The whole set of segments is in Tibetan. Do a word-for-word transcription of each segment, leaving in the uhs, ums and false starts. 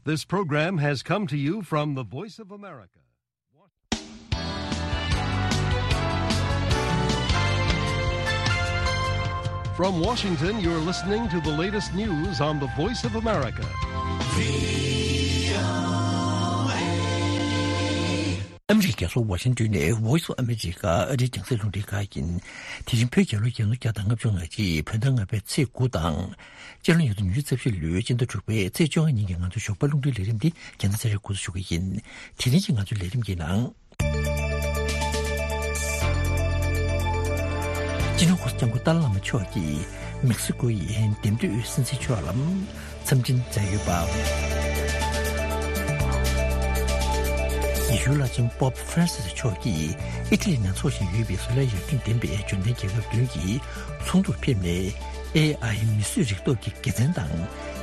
This program has come to you from the Voice of America. From Washington, you're listening to the latest news on the Voice of America. ཨ་མི་རི་ཀའི་རྒྱལ་ས་ཝ་ཤིང་ཏོན་ནས་Voice of America ཨ་རིའི་རྒྱང་སྲིང་རླུང་འཕྲིན་ཁང་ཡིན། དེ་རིང་བོད་རྒྱལ་ལོ་ཉིས་སྟོང་ཉི་ཤུ་རྩ་བཞི་ལོའི་སྤྱི་ཟླ་དྲུག་པའི་ཚེས་བཅོ་ལྔ་ཉིན་གྱི་ང་ཚོའི་ཞོགས་པ་རླུང་འཕྲིན་ལས་རིམ་འདི་རྒྱལ་མཚན་ཚེ་རིང་འགོ་འཛུགས་ཞུ་གི་ཡིན། དེ་རིང་གི་ང་ཚོའི་ལས་རིམ་གྱི་ནང་། སྤྱི་ནོར་༸གོང་ས་༸སྐྱབས་མགོན་ཏཱ་ལའི་བླ་མ་མཆོག་གིས་མེག་སི་ཀོ་ཡི་འདེམས་ཐོན་སྲིད་འཛིན་མཆོག་ལ་འཚམས་འཕྲིན་མཛད་ཡོད་པ། ཡེ་ཤུའི་བླ་ཆེན་པོབ་ཧྥ་རན་སིས་མཆོག་གིས་ཨི་ཊ་ལི་ནང་འཚོགས་བཞིན་ཡོད་པའི་བཟོ་ལས་ཡར་ཐོན་ལྡན་པའི་འབྱོར་ལྡན་རྒྱལ་ཁབ་བདུན་གྱི་ཚོགས་འདུར་ཕེབས་ནས། ཨེ་ཨའི་མིས་བཟོས་རིག་སྟོབས་ཀྱི་དགེ་མཚན་དང་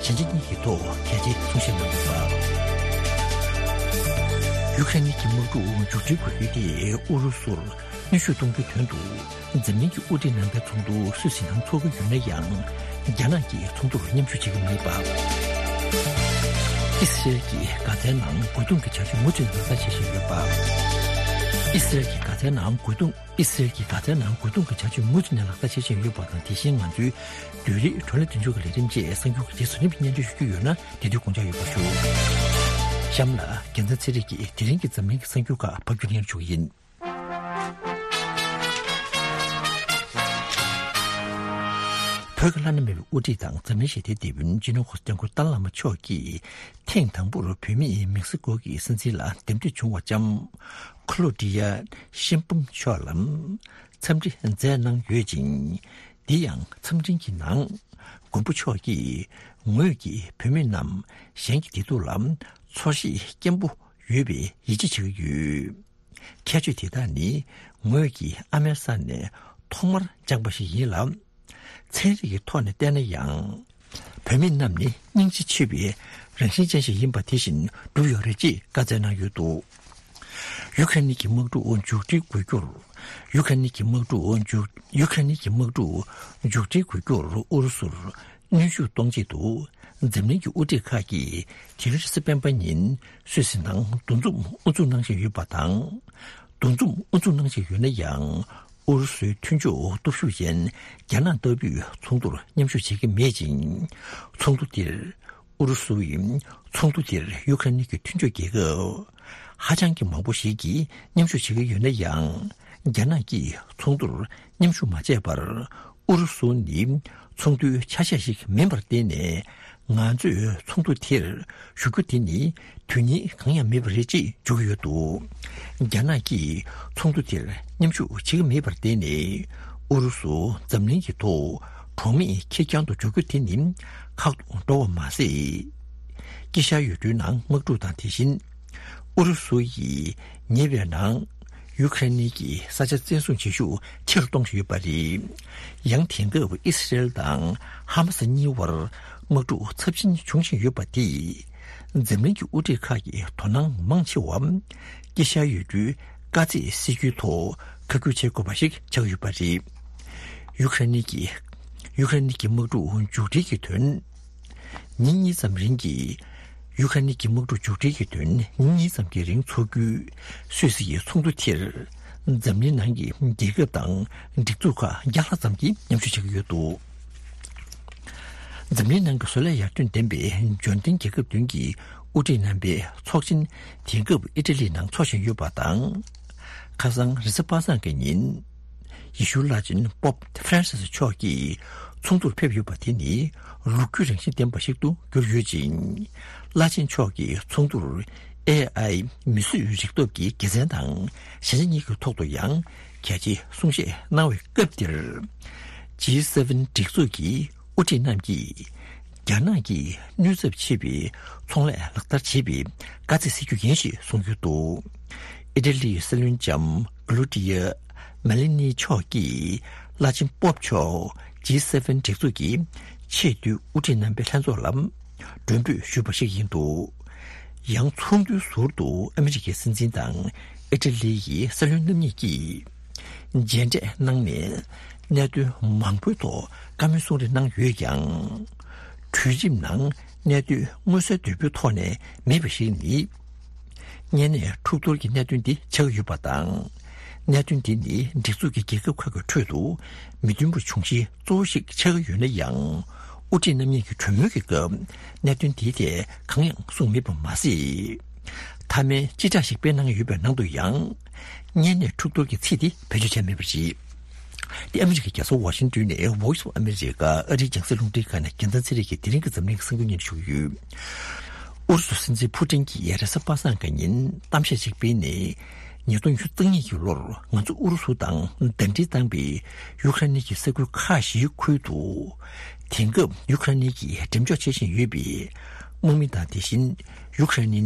ཞན་ཆ་གཉིས་ཀྱི་ཐོག་གལ་ཆེའི་གསུང་བཤད་གནང་ཡོད་པ། ཡུ་ཀེ་རེན་གྱི་དམག་འཁྲུག་མཇུག་སྒྲིལ་དགོས་རྒྱུ་དེ་ཨུ་རུ་སུར་གནོན་ཤུགས་གཏོང་རྒྱུའི་དོན་དུ། འཛམ་གླིང་གི་དབུ་ཁྲིད་རྣམ་པའི་ཚོགས་འདུ་སུད་སི་ནང་འཚོགས་ཀྱི་ཡོད་ན་ཡང་། རྒྱ་ནག་གིས་ཚོགས་འདུར་མཉམ་ཞུགས་བྱེད་ཀྱི་མེད་པ། ཨི་སི་རེལ་གྱིས་གྷ་ཛའི་ནང་རྒོལ་རྡུང་གི་བྱ་སྤྱོད་མུ་མཐུད་ལག་བསྟར་བྱེད་བཞིན་ཡོད་པ། ཨི་སི་རེལ་གྱིས་གྷ་ཛའི་ནང་རྒོལ་རྡུང་། ཨི་སི་རེལ་གྱིས་གྷ་ཛའི་ནང་རྒོལ་རྡུང་གི་བྱ་སྤྱོད་མུ་མཐུད་ནས་ལག་བསྟར་བྱེད་བཞིན་ཡོད་པ་དང་། དེ་བཞིན་ང་ཚོའི་བོད་རིགས་བགྲོ་གླེང་མདུན་ལྕོག་གི་ལས་རིམ་བཅས་གསར་འགྱུར་གྱི་རྗེས་སུ་རིམ་པས་སྙན་སྒྲོན་ཞུ་རྒྱུ་ཡོད་ན། དེ་དུས་དགོངས་འཇགས་ཡོད་པ་ཞུ། གཤམ་ལ་རྒྱལ་མཚན་ཚེ་རིང་གིས་དེ་རིང་གི་འཛམ་གླིང་གི་གསར་འགྱུར་ཁག་ཕབ་སྒྱུར་སྙན་སྒྲོན་ཞུ་གི་ཡིན། བོད་ཀྱི་བླ་ན་མེད་པའི་དབུ་ཁྲིད་དང་འཛམ་གླིང་ཞི་བདེའི་དེད་དཔོན་སྤྱི་ནོར་༸གོང་ས་༸སྐྱབས་མགོན་ཏཱ་ལའི་བླ་མ་མཆོག་གིས་ཐེངས་དང་པོར་བོད་མིས་མེག་སི་ཀོ་གི་སྲིད་འཛིན་ལ་འདེམས་ཐོན་བྱུང་བ་ལྕམ་ཁོ་ལོ་ཌི་ཡ་ཤིན་པུམ་མཆོག་ལ་འཚམས་འདྲི་མཛད་གནང་ཡོད་ཅིང་། འདི་ཡང་འཚམས་འཕྲིན་གྱི་ནང་མགོན་པོ་མཆོག་གིས་ངོས་ཀྱིས་བོད་མི་རྣམས་གཞན་གྱི་བདེ་སྡུག་ལ་ཚོར་ཤེས་སྐྱེན་པོ་ཡོད་པའི་ཡིད་ཆེས་བྱེད་ཀྱི་ཡོད། ཁྱད་ཆོས་དེ་དག་ནི་ངོས་ཀྱིས་ཨ་མའི་ས་ནས་ཐོག་མར་སྦྱངས་པ་ཞིག་ཡིན་ལ། ཚན་རིག་གི་ཐོག་ནས་བལྟས་ན་ཡང་། བོད་མི་རྣམས་ནི་སྙིང་རྗེ་ཆེ་བའི་རང་བཞིན་ཅན་ཞིག་ཡིན་པ་དེ་བཞིན་གྲུབ་ཡོད་རེད་ཅེས་བཀའ་སྩལ་གནང་ཡོད་འདུག་ཡུ་ཀེ་རེན་གྱི་དམག་འཁྲུག་མཇུག་སྒྲིལ་དགོས་རྒྱུར། ཡུ་ཀེ་རེན་གྱི་དམག་འཁྲུག་མཇུག་ཡུ་ཀེ་རེན་གྱི་དམག་འཁྲུག་མཇུག་སྒྲིལ་དགོས་རྒྱུར་ཨུ་རུ་སུར་གནོན་ཤུགས་གཏོང་ཆེད་དུ། འཛམ་གླིང་གི་དབུ་ཁྲིད་ཁག་གིས་དེ་རིང་རེས་གཟའ་སྤེན་པ་ཉིན་སུད་སི་ནང་འདུ་འཛོམས་དབུ་འཛུགས་གནང་བཞིན་ཡོད་པ་དང་། འདུ་འཛོམས་དབུ་འཛུགས་གནང་བཞིན་ཡོད་ན་ཡང་། ཨུ་རུ་སུའི་མཐུན་ཕྱོགས་སྟོབས་ཤུགས་ཅན་རྒྱ་ནག་ལྟ་བུས་ཚོགས་འདུར་མཉམ་ཞུགས་བྱེད་ཀྱི་མེད་ཅིང་། ཚོགས་འདུ་དེར། ཨུ་རུ་སུ་ཡིས་ཚོགས་འདུ་དེར་ཡུ་ཀེ་རེན་གྱི་མཐུན་ཕྱོགས་རྒྱལ་ཁབ་ཧ་ཅང་གི་མང་པོ་ཞིག་གིས་མཉམ་ཞུགས་བྱེད་ཀྱི་ཡོད་ན་ཡང་། རྒྱ་ནག་གིས་ཚོགས་འདུར་མཉམ་ཞུགས་མ་བྱས་པར། ཨུ་རུ་སུ་ནི་ཚོགས་འདུའི་ཆ་ཤས་ཤིག་མིན་པར་བརྟེན་ནས། ང་ཚོས་ཚོགས་འདུ་དེར་ཞུགས་རྒྱུ་དེ་ནི་དོན་སྙིང་གང་ཡང་མེད་པ་རེད་ཅེས་བརྗོད་ཀྱི་ཡོད་འདུག་རྒྱ་ནག་གིས་ཚོགས་འདུ་དེར་མཉམ་ཞུགས་བྱེད་ཀྱི་མེད་པར་བརྟེན་ནས། ཨུ་རུ་སུ་འཛམ་གླིང་གི་ཐོག་གྲོགས་མེད་ཁེར་རྐྱང་དུ་འཇོག་རྒྱུ་དེ་ནི་ཁག་ཏུ་འགྲོ་བ་མ་ཟད། དཀྱིལ་ཤར་ཡུལ་གྲུའི་ནང་དམག་འཁྲུག་དང་། དེ་བཞིན་ཨུ་རུ་སུ་ཡིས་ཉེ་བའི་ནང་ཡུ་ཁ་རེན་གྱི་ས་ཆ་བཙན་བཟུང་བྱེད་ཤུགས་ཆེ་རུ་གཏོང་བཞིན་ཡོད་པ་རེད། ཡང་དེང་སྐབས་ཨི་སི་རེལ་དང་ཧ་མ་སི་གཉིས་བར་དམག་འཁྲུག་ཚབས་ཆེན་འབྱུང་བཞིན་ཡོད་པ་དེས། འཛམ་གླིང་གི་དབུ་ཁྲིད་ཁག་གི་དོ་སྣང་མང་ཆེ་བ་དཀྱིལ་ཤར་ཡུལ་གྲུའི་དཀའ་ཚེགས་སེལ་རྒྱུའི་ཐོག་ཁ་བསྒྱུར་བྱེད་དགོས་པ་ཞིག་ཆགས་ཡོད་པ་རེད། ཡུ་ཁ་རེན་གྱི་ཡུ་ཁ་རེན་གྱི་དམག་འཁྲུག་མཇུག་སྒྲིལ་གྱི་དོན། ཉིན་གཉིས་ཙམ་རིང་གི་ཡུ་ཁ་རེན་གྱི་དམག་འཁྲུག་མཇུག་སྒྲིལ་གྱི་དོན་ཉིན་གཉིས་ཙམ་གྱི་རིང་འཚོགས་རྒྱུའི་སུད་སི་ཡི་ཚོགས་འདུ་དེར། འཛམ་གླིང་ནང་གི་རྒྱལ་ཁབ་དང་སྒྲིག་འཛུགས་ཁག་བརྒྱ་ལྷག་ཙམ་གྱིས་མཉམ་ཞུགས་བྱེད་ཀྱི་ཡོད་འདུག་འཛམ་གླིང་ནང་གི་བཟོ་ལས་ཡར་ཐོན་ལྡན་པའི་འབྱོར་ལྡན་རྒྱལ་ཁབ་བདུན་གྱི་དབུ་ཁྲིད་རྣམ་པའི་ཚོགས་ཆེན་དེང་སྐབས་ཨི་ཊ་ལི་ནང་འཚོགས་བཞིན་ཡོད་པ་དང་། ཁ་སང་རེས་གཟའ་པ་སངས་ཀྱི་ཉིན། ཡེ་ཤུའི་བླ་ཆེན་པོབ་ཧྥ་རན་སིས་མཆོག་གིས་ཚོགས་འདུར་ཕེབས་ཡོད་པ་དེ་ནི་ལོ་རྒྱུས་རང་བཞིན་ལྡན་པ་ཞིག་ཏུ་གྱུར་ཡོད་ཅིང་། བླ་ཆེན་མཆོག་གིས་ཚོགས་འདུར་ཨེ་ཨའི་མིས་བཟོས་རིག་སྟོབས་ཀྱི་དགེ་མཚན་དང་ཞན་ཆ་གཉིས་ཀྱི་ཐོག་ཏུ་ཡང་གལ་ཆེའི་གསུང་བཤད་གནང་བའི་སྐབས་དེར། ཇི་སེ་ཝེན་སྒྲིག་འཛུགས་ཀྱི་དབུ་ཁྲིད་རྣམས་ཀྱིས། རྒྱ་ནག་གིས་ནུས་ཚབས་ཆེ་བའི་ཚོང་ལས་ལག་བསྟར་བྱེད་པའི་དཀའ་ཚེགས་སེལ་རྒྱུ་ཡིན་ཞེས་གསུངས་ཡོད་འདུག་ཨི་ཊ་ལིའི་སྲིད་བློན་ལྕམ་ཀློ་ཌི་ཡ་མེ་ལི་ནི་མཆོག་གིས་བླ་ཆེན་པོབ་མཆོག་ཇི་སེ་ཝེན་སྒྲིག་འཛུགས་ཀྱི་ཆེས་མཐོའི་དབུ་ཁྲིད་རྣམ་པའི་ལྷན་ཚོགས་ལ་མགྲོན་འབོད་ཞུས་པ་ཞིག་ཡིན་འདུག་ཡང་ཚོགས་འདུའི་ཟུར་དུ་ཨ་མི་རི་ཀའི་སྲིད་འཛིན་དང་ཨི་ཊ་ལི་ཡི་སྲིད་བློན་རྣམ་གཉིས་ཀྱིས། མཇལ་འཕྲད་གནང་ནས་གནད་དོན་མང་པོའི་ཐོག་བཀའ་མོལ་གསུང་རེས་གནང་ཡོད་ཀྱང་། གྲོས་རིམ་ནང་ གནད་དོན་མངོན་གསལ་དོད་པོའི་ཐོག་ནས་མེད་པ་ཞིག་ནི། གཉན་ནད་འཁྲུག་གཏོར་གྱི་གནད་དོན་འདི་ཆགས་ཡོད་པ་དང་། གནད་དོན་འདི་ནི་སྒྲིག་འཛུགས་ཀྱི་རྒྱལ་ཁབ་ཁག་གི་ཁྲོད་དུ་མི་མཐུན་པ་འབྱུང་གཞི་གཙོ་བོ་ཞིག་ཆགས་ཀྱི་ཡོད་ན་ཡང་། དབུ་ཁྲིད་རྣམ་གཉིས་ཀྱི་གྲོས་མོལ་གྱི་སྐབས་གནད་དོན་དེའི་ཐད་གང་ཡང་གསུངས་མེད་པ་མ་ཟད། མཐའ་མའི་སྤྱི་བསྒྲགས་ཤིག་སྤེལ་གནང་ཡོད་པའི་ནང་དུ་ཡང་། གཉན་ནད་འཁྲུག་གཏོར་གྱི་ཚིག་དེ་བེད་སྤྱོད་བྱས་མེད་པ་རེད། འདི་ཨ་མི་རི་ཀའི་རྒྱལ་ས་ཝ་ཤིང་ཏོན་ནས་Voice of America ཨ་རིའི་རྒྱང་སྲིང་རླུང་འཕྲིན་ཁང་ནས་རྒྱལ་མཚན་ཚེ་རིང་གིས་དེ་རིང་གི་འཛམ་གླིང་གི་གསར་འགྱུར་སྙན་ཞུ་གི་ཡོད། ཨུ་རུ་སུ་སྲིད་འཛིན་ཕུ་ཏིན་གྱིས་རེས་གཟའ་པ་སངས་ཀྱི་ཉིན་གཏམ་བཤད་ཅིག་སྤེལ་ནས། ཉིས་སྟོང་ཉི་ཤུ་རྩ་གཉིས་ཀྱི་ལོར་ང་ཚོ་ཨུ་རུ་སུ་དང་ཟླ་སྒྲིལ་བཏང་བའི་ཡུ་ཁ་རེ་ནི་གྱི་ས་ཁུལ་ཁག་བཞིའི་ཁུལ་དུ། དེང་སྐབས་ཡུ་ཁ་རེ་ནི་གིས་འགྲེམས་འཇོག་བྱེད་བཞིན་ཡོད་པའི་དམག་མི་དང་། དེ་བཞིན་ཡུ་ཁ་རེ་ནི་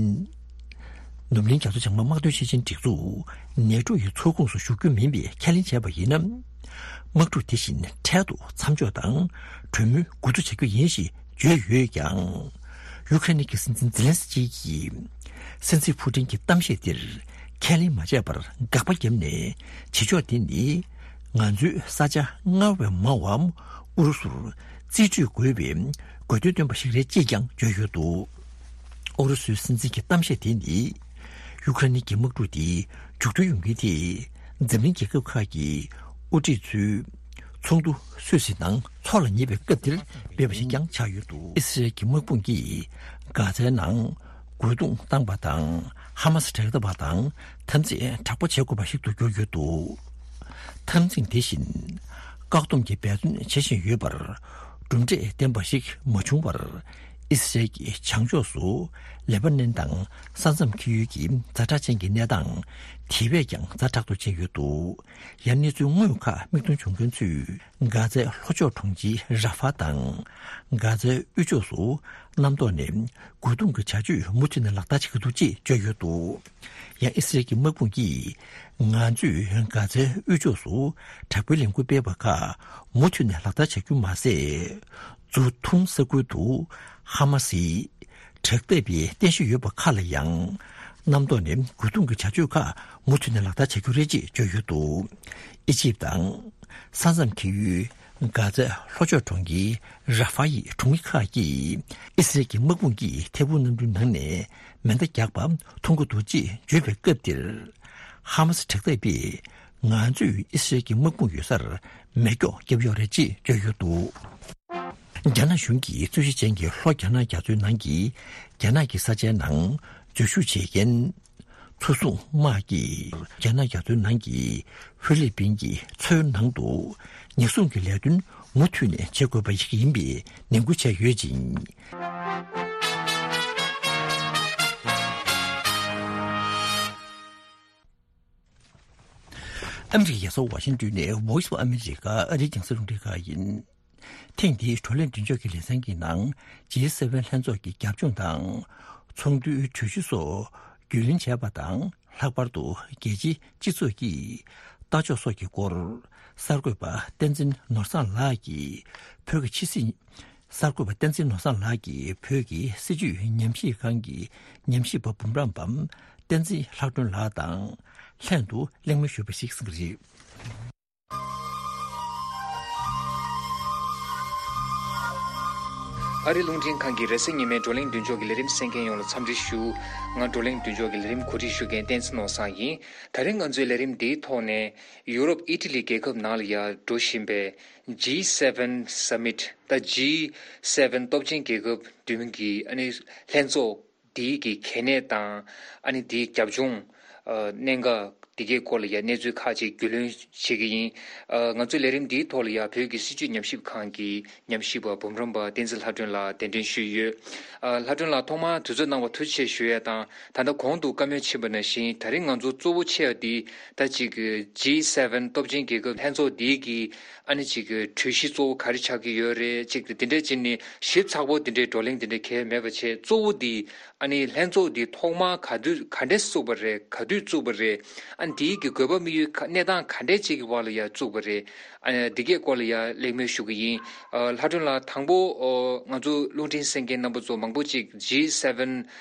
ནུབ་གླིང་རྒྱ་མཚོ་བྱང་མའི་དམག་དོན་སྤྱི་ཆིངས་སྒྲིག་འཛུགས་ནེ་ཊོ་ཡི་ཚོགས་ཁོངས་སུ་ཞུགས་རྒྱུ་མིན་པའི་ཁས་ལེན་བྱས་པ་ཡིན་ན། དམག་འཁྲུག་དེ་བཞིན་འཕྲལ་དུ་མཚམས་འཇོག་དང་གྲོས་མོལ་འགོ་འཛུགས་བྱ་རྒྱུ་ཡིན་ཞེས་བརྗོད་ཡོད་ཀྱང་། ཡུ་ཁ་རེ་ནི་གི་སྲིད་འཛིན་ཛེ་ལན་སི་ཀི་གིས་སྲིད་འཛིན་ཕུ་ཏིན་གྱི་གཏམ་བཤད་དེར་ཁས་ལེན་མ་བྱས་པར་དགག་པ་བརྒྱབ་ནས། བྱེད་ཕྱོགས་དེ་ནི་ང་ཚོའི་ས་ཆ་སྔར་བས་མང་བ་ཨུ་རུ་སུར་རྩིས་སྤྲོད་དགོས་པའི་དགོས་འདུན་བཏོན་པ་ཞིག་རེད་ཅེས་ཀྱང་བརྗོད་ཡོད་འདུག་ཨུ་རུ་སུའི་སྲིད་འཛིན་གྱི་གཏམ་བཤད་དེ་ནི། ཡུ་ཁ་རེ་ནི་གྱི་དམག་འཁྲུག་འདི་མཇུག་སྒྲིལ་ཡོང་གིན་དེ། འཛམ་གླིང་རྒྱལ་ཁབ་ཁག་གི་དབུ་ཁྲིད་ཚོའི་ཚོགས་འདུ་སུད་སི་ནང་འཚོགས་ལ་ཉེ་བའི་སྐབས་འདིར་སྤེལ་བ་ཞིག་ཀྱང་ཆགས་ཡོད་འདུག་ཨི་སི་རལ་གྱི་དམག་དཔུང་གིས་གྷ་ཛའི་ནང་རྒོལ་རྡུང་བཏང་པ་དང་། ཧ་མ་སི་དྲག་འཐབ་པ་དང་འཐབ་འཛིང་དྲག་པོ་བྱེད་དགོས་པ་ཞིག་ཏུ་གྱུར་ཡོད་འདུག་འཐབ་འཛིང་དེ་བཞིན་བཀག་སྡོམ་གྱི་འབད་བརྩོན་བྱེད་བཞིན་ཡོད་པར། གྲུབ་འབྲས་ལྡན་པ་ཞིག་མ་བྱུང་བར། ཨི་སི་རལ་གྱི་བྱང་ཕྱོགས་སུ་ལེ་པ་ནན་དང་ས་མཚམས་འཁེལ་ཡུལ་གྱི་ཛ་དྲག་ཅན་གྱི་གནས་སྟངས་དེ་བས་ཀྱང་ཛ་དྲག་ཏུ་ཕྱིན་ཡོད་འདུག་ཡང་གནས་ཚུལ་དངོས་ཁག་མིག་མཐོང་བྱུང་མཁན་ཚོས། གྷ་ཛའི་ལྷོ་ཕྱོགས་གྲོང་ཁྱེར་ར་ཧྥ་དང་། གྷ་ཛའི་དབུས་ཕྱོགས་སུ་གནམ་ཐོག་ནས་རྒོལ་རྡུང་གི་བྱ་སྤྱོད་མུ་མཐུད་ནས་ལག་བསྟར་བྱེད་ཀྱི་འདུག་ཅེས་བརྗོད་ཡོད་འདུག་ཡང་ཨི་སི་རལ་གྱི་དམག་དཔུང་གིས། ང་ཚོས་གྷ་ཛའི་དབུས་ཕྱོགས་སུ་དྲག་པོའི་ལས་འགུལ་སྤེལ་བ་ཁག་མུ་མཐུད་ནས་ལག་བསྟར་བྱ་རྒྱུ་མ་ཟད། ཛུ་ཐུང་ས་ཁུལ་དུ་ཧ་མ་སིའི་དྲག་འཐབ་པའི་རྟེན་གཞི་ཡོད་པ་ཁག་ལ་ཡང་། གནམ་ཐོག་ནས་རྒོལ་རྡུང་གི་བྱ་སྤྱོད་ཁག་མུ་མཐུད་ནས་ལག་བསྟར་བྱ་རྒྱུ་རེད་ཅེས་བརྗོད་ཡོད་འདུག་ཨི་ཇིབ་དང་། ས་མཚམས་འཁེལ་ཡུལ་གྷ་ཛའི་ལྷོ་ཕྱོགས་གྲོང་ཁྱེར་ར་ཧྥ་ཡི་གྲོང་མི་ཁག་གིས་ཨི་སི་རལ་གྱི་དམག་དཔུང་གིས་ཐད་འཕུར་གནམ་གྲུའི་ནང་ནས་མེ་མདའ་རྒྱག་པ་མཐོང་གི་འདུག་ཅེས་བརྗོད་པའི་སྐབས་དེར། ཧ་མ་སི་དྲག་འཐབ་པས་ང་ཚོས་ཨི་སི་རལ་གྱི་དམག་དཔུང་ཡོད་སར་མེ་སྒྱོགས་བརྒྱབ་ཡོད་རེད་ཅེས་བརྗོད་ཡོད་འདུག་རྒྱ་ནག་གཞུང་གིས་རྩོད་གཞི་ཅན་གྱི་ལྷོ་རྒྱ་ནག་རྒྱ་མཚོའི་ནང་གི་རྒྱ་ནག་གི་ས་ཆའི་ནང་འཛུལ་ཞུགས་བྱེད་མཁན་མཚོ་སྲུང་དམག་གིས་རྒྱ་ནག་རྒྱ་མཚོའི་ནང་གི་ཧྥི་ལི་པིན་གྱི་མཚོའི་ནང་དུ་ཉེན་སྲུང་གི་ལས་དོན་མུ་མཐུད་ནས་བྱེད་དགོས་པ་ཞིག་ཡིན་པའི་ནན་སྐུལ་བྱས་ཡོད་ཅིང་། ཨ་མི་རི་ཀའི་རྒྱལ་ས་ཝ་ཤིང་ཏོན་ནས་Voice of America ཨ་རིའི་རྒྱང་སྲིང་རླུང་འཕྲིན་ཁང་ཡིན། ཐེངས་འདིའི་བགྲོ་གླེང་མདུན་ཅོག་གི་ལེ་ཚན་གྱི་ནང་G seven ལྷན་ཚོགས་ཀྱི་རྒྱབ་ལྗོངས་དང་། ཚོགས་འདུའི་གྲོས་གཞི་སོགས་རྒྱུས་ལོན་བྱས་པ་དང་། ལྷག་པར་དུ་རྒྱལ་སྤྱིའི་སྤྱི་ཚོགས་ཀྱིས་ལྟ་ཕྱོགས་སོགས་ཀྱི་སྐོར། གསར་འགོད་པ་བསྟན་འཛིན་ནོར་བཟང་ལགས་ཀྱིས་བོད་ཀྱི་ཕྱི་སྲིད། གསར་འགོད་པ་བསྟན་འཛིན་ནོར་བཟང་ལགས་ཀྱིས་བོད་ཀྱི་སྲིད་བྱུས་ཉམས་ཞིབ་ཁང་གི་ཉམས་ཞིབ་པ་འབུམ་རམས་པ་བསྟན་འཛིན་ལྷ་སྒྲོན་ལགས་དང་ལྷན་དུ་གླེང་མོལ་ཞུས་པ་ཞིག་གསན་གྱི་རེད། ཨ་རི་རླུང་འཕྲིན་ཁང་གི་རེས་གཟའ་ཉི་མའི་བགྲོ་གླེང་མདུན་ཅོག་གི་ལས་རིམ་གསན་མཁན་ཡོངས་ལ་འཚམས་འདྲི་ཞུ། ང་བགྲོ་གླེང་མདུན་ཅོག་གི་ལས་རིམ་གོ་སྒྲིག་ཞུ་མཁན་བསྟན་འཛིན་ནོར་བཟང་ཡིན། ད་རིང་ང་ཚོའི་ལས་རིམ་འདིའི་ཐོག་ནས་ཡུ་རོབ་ཨི་ཊ་ལི་རྒྱལ་ཁབ་ནང་ལ་ཡར་འགྲོ་བཞིན་པའི་G seven Summit ད་G seven སྟོབས་ཆེན་རྒྱལ་ཁབ་བདུན་གྱི་ཨ་ནི་ལྷན་ཚོགས་འདིའི་གི་གལ་གནད་དང་ཨ་ནི་འདིའི་རྒྱབ་ལྗོངས། ཨ། གནད་འགག་འདི་གའི་སྐོར་ལ་ཡང་གནས་ཚུལ་ཁག་ཅིག་རྒྱུས་ལོན་བྱེད་ཀྱི་ཡིན། ཨ། ང་ཚོའི་ལས་རིམ་འདིའི་ཐོག་ལ་ཡང་བོད་ཀྱི་སྲིད་བྱུས་ཉམས་ཞིབ་ཁང་གི་ཉམས་ཞིབ་པ་འབུམ་རམས་པ་བསྟན་འཛིན་ལྷ་སྒྲོན་ལགས་གདན་འདྲེན་ཞུས་ཡོད། ཨ། ལྷ་སྒྲོན་ལགས་ཐོག་མར་དུས་ཚོད་གནང་བར་ཐུགས་རྗེ་ཆེ་ཞུ་ཡས་དང་། ད་ལྟ་གོང་དུ་བཀའ་མོལ་ཕྱིན་པ་ནང་བཞིན་ད་རིང་ང་ཚོ་གཙོ་བོ་ཆེ་བ་འདི་ད་ཅིག་G seven སྟོབས་ཆེན་རྒྱལ་ཁབ་ལྷན་ཚོགས་འདིའི་གི་ཨ་ནི་ཅིག་གི་གྲོས་གཞི་གཙོ་བོ་ག་རེ་ཆགས་ཀྱི་ཡོད་རེད། ཅིག་དེ་འདྲས་བྱས་ནས་ཞིབ་ཚགས་པོ་དེ་འདྲའི་བགྲོ་གླེང་དེ་འདྲ་གང་ཡང་མེད་པ་བྱས། གཙོ་བོ་འདི་ཨ་ནི་ལྷན་ཚོགས་འདི་ཐོག་མར་ག་དུས་ག་འདྲས་བཙུགས་པ་རེད། ག་དུས་བཙུགས་པ་རེད། ཨ་ནི་དེའི་གི་དགོས་པ་དམིགས་ཡུལ་ག་གནས་སྟངས་ག་འདྲས་ཅིག་གི་བར་ལ་ཡར་བཙུགས་པ་རེད། ཨ་ནི་འདི་གའི་སྐོར་ལ་ཡར་གླེང་མོལ་ཞུ་གི་ཡིན། ཨ། ལྷ་སྒྲོན་ལགས་དང་པོ། ཨོ། ང་ཚོ་རླུང་འཕྲིན་གསན་མཁན་རྣམ་པ་ཚོ་མང་པོ་ཅིག་G seven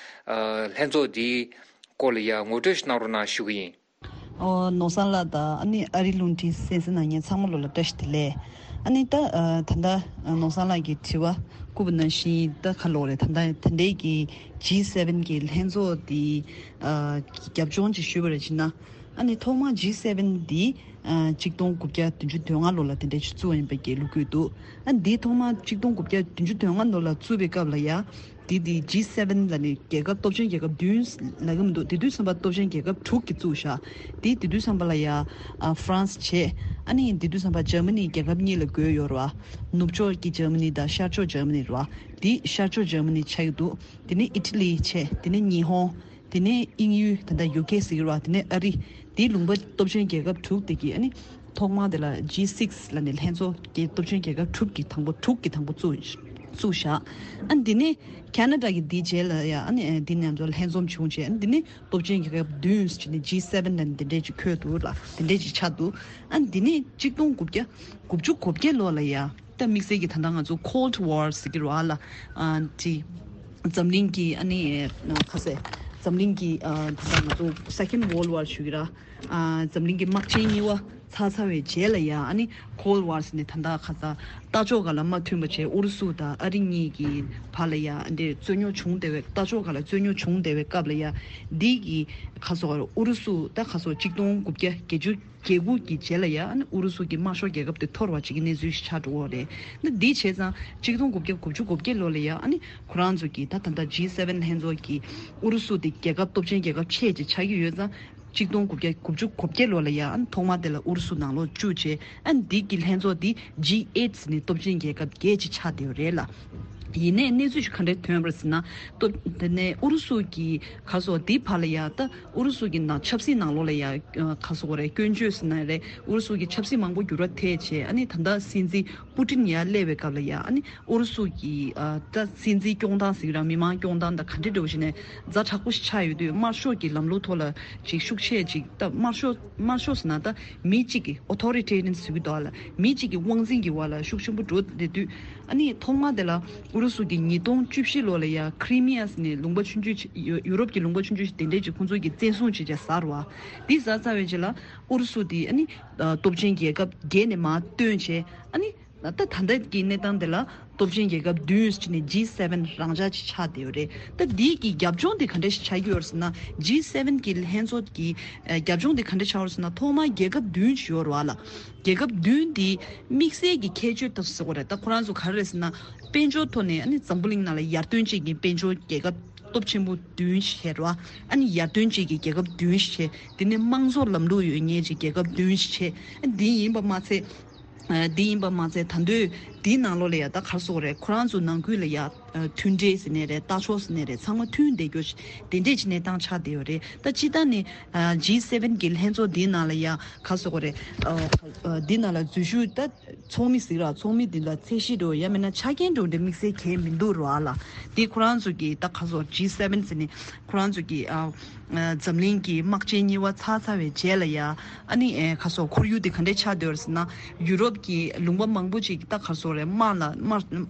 ཨ། ལྷན་ཚོགས་འདིའི་སྐོར་ལ་ཡར་ངོ་སྤྲོད་ཞིག་གནང་རོགས་གནང་ཞུ་གི་ཡིན། ཨོ། ནོར་བཟང་ལགས་དང་ཨ་ནི་ཨ་རི་རླུང་འཕྲིན་གསན་གཟིགས་གནང་མཁན་ཚང་མ་ལོ་ལ་བཀྲ་ཤིས་བདེ་ལེགས། ཨ་ནི་ད། ཨ། ད་ལྟ་ནོར་བཟང་ལགས་ཀྱི་དྲི་བ་ བསྐུར་བ་ནང་བཞིན་ད་ག་ལོག་རེད། ད་ད་དེ་འདྲའི་གི་ཇི་སེ་ཝེན་གི་ལྷན་ཚོགས་དེ་ཨ་རྒྱབ་ལྗོངས་ཅིག་ཞུས་པ་རེད་ཅེ་ན། ཨ་ནི་ཐོག་མར་ཇི་སེ་ཝེན་འདི་ཨ་གཅིག་སྟོང་དགུ་བརྒྱ་བདུན་ཅུ་དོན་ལྔ་ལོ་ལ་དེ་འདྲའི་ཅིག་བཙུགས་ཡིན་པའི་གི་ལོ་རྒྱུས་འདུག་ཨ་འདི་ཐོག་མར་གཅིག་སྟོང་དགུ་བརྒྱ་བདུན་ཅུ་དོན་ལྔ་ལོ་ལ་བཙུགས་པའི་སྐབས་ལ་ཡ། འདི་འདི་ཇི་སེ་ཝེན་ལ་ནི་རྒྱལ་ཁབ་སྟོབས་ཆེན་རྒྱལ་ཁབ་བདུན་ལབ་གི་མི་འདུག་དེ་དུས་ཙམ་པ་སྟོབས་ཆེན་རྒྱལ་ཁབ་དྲུག་གིས་བཙུགས་བཞག་དེ་དེ་དུས་ཙམ་པ་ལ་ཡ་ཨ་ཧྥ་རན་སི་བྱས། ཨ་ནི་དེ་དུས་ཙམ་པ་འཇར་མ་ནི་རྒྱལ་ཁབ་གཉིས་ལ་བགོས་ཡོད་རེད་བ། ནུབ་ཕྱོགས་ཀྱི་འཇར་མ་ནི་དང་ཤར་ཕྱོགས་འཇར་མ་ནི་རེད་བ། དེ་ཤར་ཕྱོགས་འཇར་མ་ནི་ཆགས་ཀྱི་འདུག་དེ་ནས་ཨི་ཊ་ལི་བྱས། དེ་ནས་ཉི་ཧོང་། དེ་ནས་དབྱིན་ཡུལ་ད་ལྟ་ཡུ་ཀེ་ཟེར་གྱི་རེད་བ། དེ་ནས་ཨ་རི། དེའི་ལུང་པ་སྟོབས་ཆེན་རྒྱལ་ཁབ་དྲུག་དེ་གིས་ཨ་ནི་ཐོག་མ་དེ་ལ་ཇི་སིག་ལབ་ནས་ལྷན་ཚོགས་ཀྱི་སྟོབས་ཆེན་རྒྱལ་ཁབ་དྲུག་གི་དང་པོ་དྲུག་གི་དང་པོ་བཙུགས་བཙུགས་བཞག་ཨ་འདི་ནས་ཁ་ན་ཌ་གི་འདིའི་རྗེས་ལ་ཡ་ཨ་ནི་འདི་ནས་ཚོ་ལྷན་འཛོམས་བྱུང་རྗེས་ཨ་ནི་འདི་ནས་སྟོབས་ཆེན་རྒྱལ་ཁབ་བདུན་ཟེར་ནས་ཇི་སེ་ཝེན་ལབ་ནས་འདི་འདྲས་ཅིག་འཁོད་འདུག་ལ། འདི་འདྲས་ཅིག་ཆགས་འདུག་ཨ་འདི་ནས་གཅིག་སྟོང་དགུ་བརྒྱ་དགུ་བཅུ་གོ་བརྒྱད་ལོ་ལ་ཡ། ད་དམིགས་བསལ་གྱི་ད་ལྟ་ང་ཚོ་Cold War ཟེར་གྱི་རེད་བ་ལ། ཨ་དེ་འཛམ་གླིང་གི་ཨ་ནི་ཁ་ཟས་འཛམ་གླིང་གི་ཨ་ད་ལྟ་ང་ཚོ་Second World War ཞུ་གི་ར། ཨ་འཛམ་གླིང་གི་དམག་ཆེན་གཉིས་པ་ཚར་ཚར་བའི་རྗེས་ལ་ཡ་ཨ་ནི་Cold War ཟེར་ནས་ད་ལྟ་ཁ་ས་ལྟ་ཕྱོགས་ག་ལ་མ་མཐུན་པ་བྱས། ཨུ་རུ་སུ་དང་ཨ་རི་གཉིས་ཀྱི་བར་ལ་ཡ་འདི་རྩོད་རྙོག་བྱུང་བསྡད་པའི་ལྟ་ཕྱོགས་ག་ལ་རྩོད་རྙོག་བྱུང་བསྡད་པའི་སྐབས་ལ་ཡ། འདི་གི་ཁ་སོ་ཨུ་རུ་སུ་ད་ཁ་སོ་གཅིག་སྟོང་དགུ་བརྒྱ་བརྒྱད་ཅུ་གྱ་དགུ་གི་རྗེས་ལ་ཡ་ཨ་ནི་ཨུ་རུ་སུ་གི་དམར་ཤོག་རྒྱལ་ཁབ་དེ་འཐོར་བ་ཅིག་གི་གནས་ཚུལ་ཞིག་ཆགས་འགྲོ་གི་རེད། ད་འདི་བྱས་ཙང་གཅིག་སྟོང་དགུ་བརྒྱ་དགུ་བཅུ་གོ་བརྒྱད་ལོ་ལ་ཡ་ཨ་ནི་ཁོ་རང་ཚོ་གི་ད་ད་ལྟ་ཇི་སེ་ཝེན་ལྷན་ཚོགས་ཀྱི་ཨུ་རུ་སུ་དེ་རྒྱལ་ཁབ་སྟོབས་ཆེན་རྒྱལ་ཁབ་ཆེ་ཅིག་ཆགས་ཀྱི་ཡོད་ཙང་། གཅིག་སྟོང་དགུ་བརྒྱ་དགུ་བཅུ་གོ་བརྒྱད་ལོ་ལ་ཡ་ཨ་ནི་ཐོག་མ་དེ་ལ་ཨུ་རུ་སུ་ནང་ལོགས་བཅུག་བྱས། ཨ་ནི་འདི་གི་ལྷན་ཚོགས་འདི་ཇི་ཨེཊ་ཟེར་ནས་སྟོབས་ཆེན་རྒྱལ་ཁབ་བརྒྱད་ཅིག་ཆགས་བསྡད་ཡོད་རེད་ལ། ཡིན་ནའི་གནས་ཚུལ་ཞིག་ག་འདྲས་ཐོན་པ་རེད་ཟེར་ན། སྟོབས་དེ་ནས་ཨུ་རུ་སུ་གི་ག་སོགས་འདི་བར་ལ་ཡ་ད་ཨུ་རུ་སུ་གི་ནང་ཆབ་སྲིད་ནང་ལོགས་ལ་ཡ་ག་སོགས་རེད། སྐྱོན་བརྗོད་ཟེར་ན་རེད། ཨུ་རུ་སུ་གི་ཆབ་སྲིད་མང་པོ་འགྱུར་བ་ཐེབས་བྱས། ཨ་ནི་ད་ལྟ་སྲིད་འཛིན་པུ་ཏིན་ཡར་སླེབས་པའི་སྐབས་ལ་ཡ་ཨ་ནི་ཨུ་རུ་སུ་གི་ཨ་ད་སྲིད་འཛིན་སྐྱོང་སྟངས་ཟེར་གྱི་ར། མི་མང་སྐྱོང་སྟངས་དང་ག་འདྲ་འདྲ་བོ་ཞིག་ནས་ཛ་དྲག་པོ་ཞིག་ཆགས་ཡོད་དུས། དམར་ཤོག་གི་ལམ་ལུགས་ཐོག་ལ་ཅིག་ཤུགས་ཆེ་ཅིག་ད་དམར་ཤོག་དམར་ཤོག་ཟེར་ན་ད་མི་གཅིག་གི་ཨོ་ཐོ་རི་ཊེ་རི་ཡན་ཟེར་གྱི་འདུག་ཨ་ལ། མི་གཅིག་གི་དབང་འཛིན་གྱི་འོག་ལ་ཤུགས་ཆེན་པོ་འགྲོ་བསྡད་དུས། ཨ་ནི་ཐོག་མ་དེ་ལ་ཨུ་རུ་སུ་གི་ཉིས་སྟོང་བཅུ་བཞི་ལོ་ལ་ཡ་ཁི་རི་མི་ཡ་ཟེར་ནས་ལུང་པ་ཆུང་ཆུང་ཅིག་ཡུ་ཡུ་རོབ་ཀྱི་ལུང་པ་ཆུང་ཆུང་ཞིག་དེ་འདྲས་ཅིག་ཁོང་ཚོ་གི་བཙན་བཟུང་བྱས་བྱས་ཟ་རུ་བ། འདི་ཟ་ཚར་བའི་རྗེས་ལ་ཨུ་རུ་སུ་དེ་ཨ་ནི་ཨ་སྟོབས་ཆེན་རྒྱལ་ཁབ་བརྒྱད་ནས་མར་བཏོན་བྱས། ཨ་ནི་ད་ད་ལྟ་གི་གནས་སྟངས་དེ་ལ་སྟོབས་ཆེན་རྒྱལ་ཁབ་བདུན་ཟེར་ནས་ཇི་སེ་ཝེན་རང་འཇགས་ཅིག་ཆགས་བསྡད་ཡོད་རེད། ད་འདི་གི་རྒྱབ་ལྗོངས་དེ་ག་འདྲ་ཞིག་ཆགས་ཀྱི་ཡོད་རེད་ཟེར་ན། ཇི་སེ་ཝེན་གི་ལྷན་ཚོགས་ཀྱི་ཨ་རྒྱབ་ལྗོངས་དེ་ག་འདྲ་ཆགས་ཡོད་རེད་ཟེར་ན། ཐོག་མར་རྒྱལ་ཁབ་བདུན་ཞིག་ཡོད་རེད་བ་ལ། རྒྱལ་ཁབ་བདུན་འདི་དམིགས་བསལ་གྱི་ཁྱད་ཆོས་དང་ཟེར་དགོས་རེད། ད་ཁོ་རང་ཚོ་ག་རེ་རེད་ཟེར་ན། དཔལ་འབྱོར་ཐོག་ནས་ཨ་ནི་འཛམ་བུ་གླིང་ནང་ལ་ཡར་ཐོན་ཅན་གྱི་དཔལ་འབྱོར་རྒྱལ་ཁབ་སྟོབས་ཆེན་པོ་བདུན་ཞིག་རེད་བ། ཨ་ནི་ཡར་ཐོན་ཅན་གྱི་རྒྱལ་ཁབ་བདུན་ཞིག་བྱས། དེ་ནས་དམངས་གཙོ་ལམ་ལུགས་ཡོད་མཁན་གྱི་རྒྱལ་ཁབ་བདུན་ཞིག་བྱས། ཨ་འདི་ཡིན་པ་མ་ཚད། ཨ་འདི་ཡིན་པ་མ་ཚད་ད་དུང་འདིའི་ནང་ལོགས་ལ་ཡ་ད་ག་རེ་ཟེར་དགོས་རེད། ཁོ་རང་ཚོ་ནང་ཁུལ་ལ་ཡ་ཨ་མཐུན་འབྲེལ་ཟེར་ནའི་རེད། ལྟ་ཕྱོགས་ཟེར་ནའི་རེད། ཚང་མ་མཐུན་བསྡད་རྒྱུ་དེ་འདྲས་ཀྱི་གནས་སྟངས་ཆགས་བསྡད་ཡོད་རེད། ད་སྤྱིར་བཏང་ནས་ཨ་ཇི་སེ་ཝེན་གྱི་ལྷན་ཚོགས་འདིའི་ནང་ལ་ཡ་ག་རེ་ཟེར་དགོས་རེད། ཨ་འདི་ནང་ལ་འཛུལ་ཞུགས་ད་ཚོགས་མི་ཟེར་ར། ཚོགས་མི་འདི་ལ་ཚད་གཞི་འདྲ་བོ་ཡང་མིན་ན་ཆ་རྐྱེན་འདྲ་བོ་འདི་དམིགས་བསལ་གང་ཡང་མི་འདུག་ར་ལ། འདི་ཁོ་རང་ཚོ་གི་ད་ག་རེ་ཟེར་དགོས་རེད། ཇི་སེ་ཝེན་ཟེར་ནས་ཁོ་རང་ཚོ་གི་ཨ་ཨ་འཛམ་གླིང་གི་དམག་ཆེན་གཉིས་པ་ཚར་ཚར་བའི་རྗེས་ལ་ཡ། ཨ་ནི་ཨེ་ག་རེ་ཟེར་དགོས་རེད། ཁོར་ཡུག་འདི་ག་འདྲས་ཆགས་བསྡད་ཡོད་རེད་ཟེར་ན། ཡུ་རོབ་ཀྱི་ལུང་པ་མང་པོ་ཅིག་ད་ག་རེ་ཟེར་དགོས་རེད། དམག་ལ་དམག་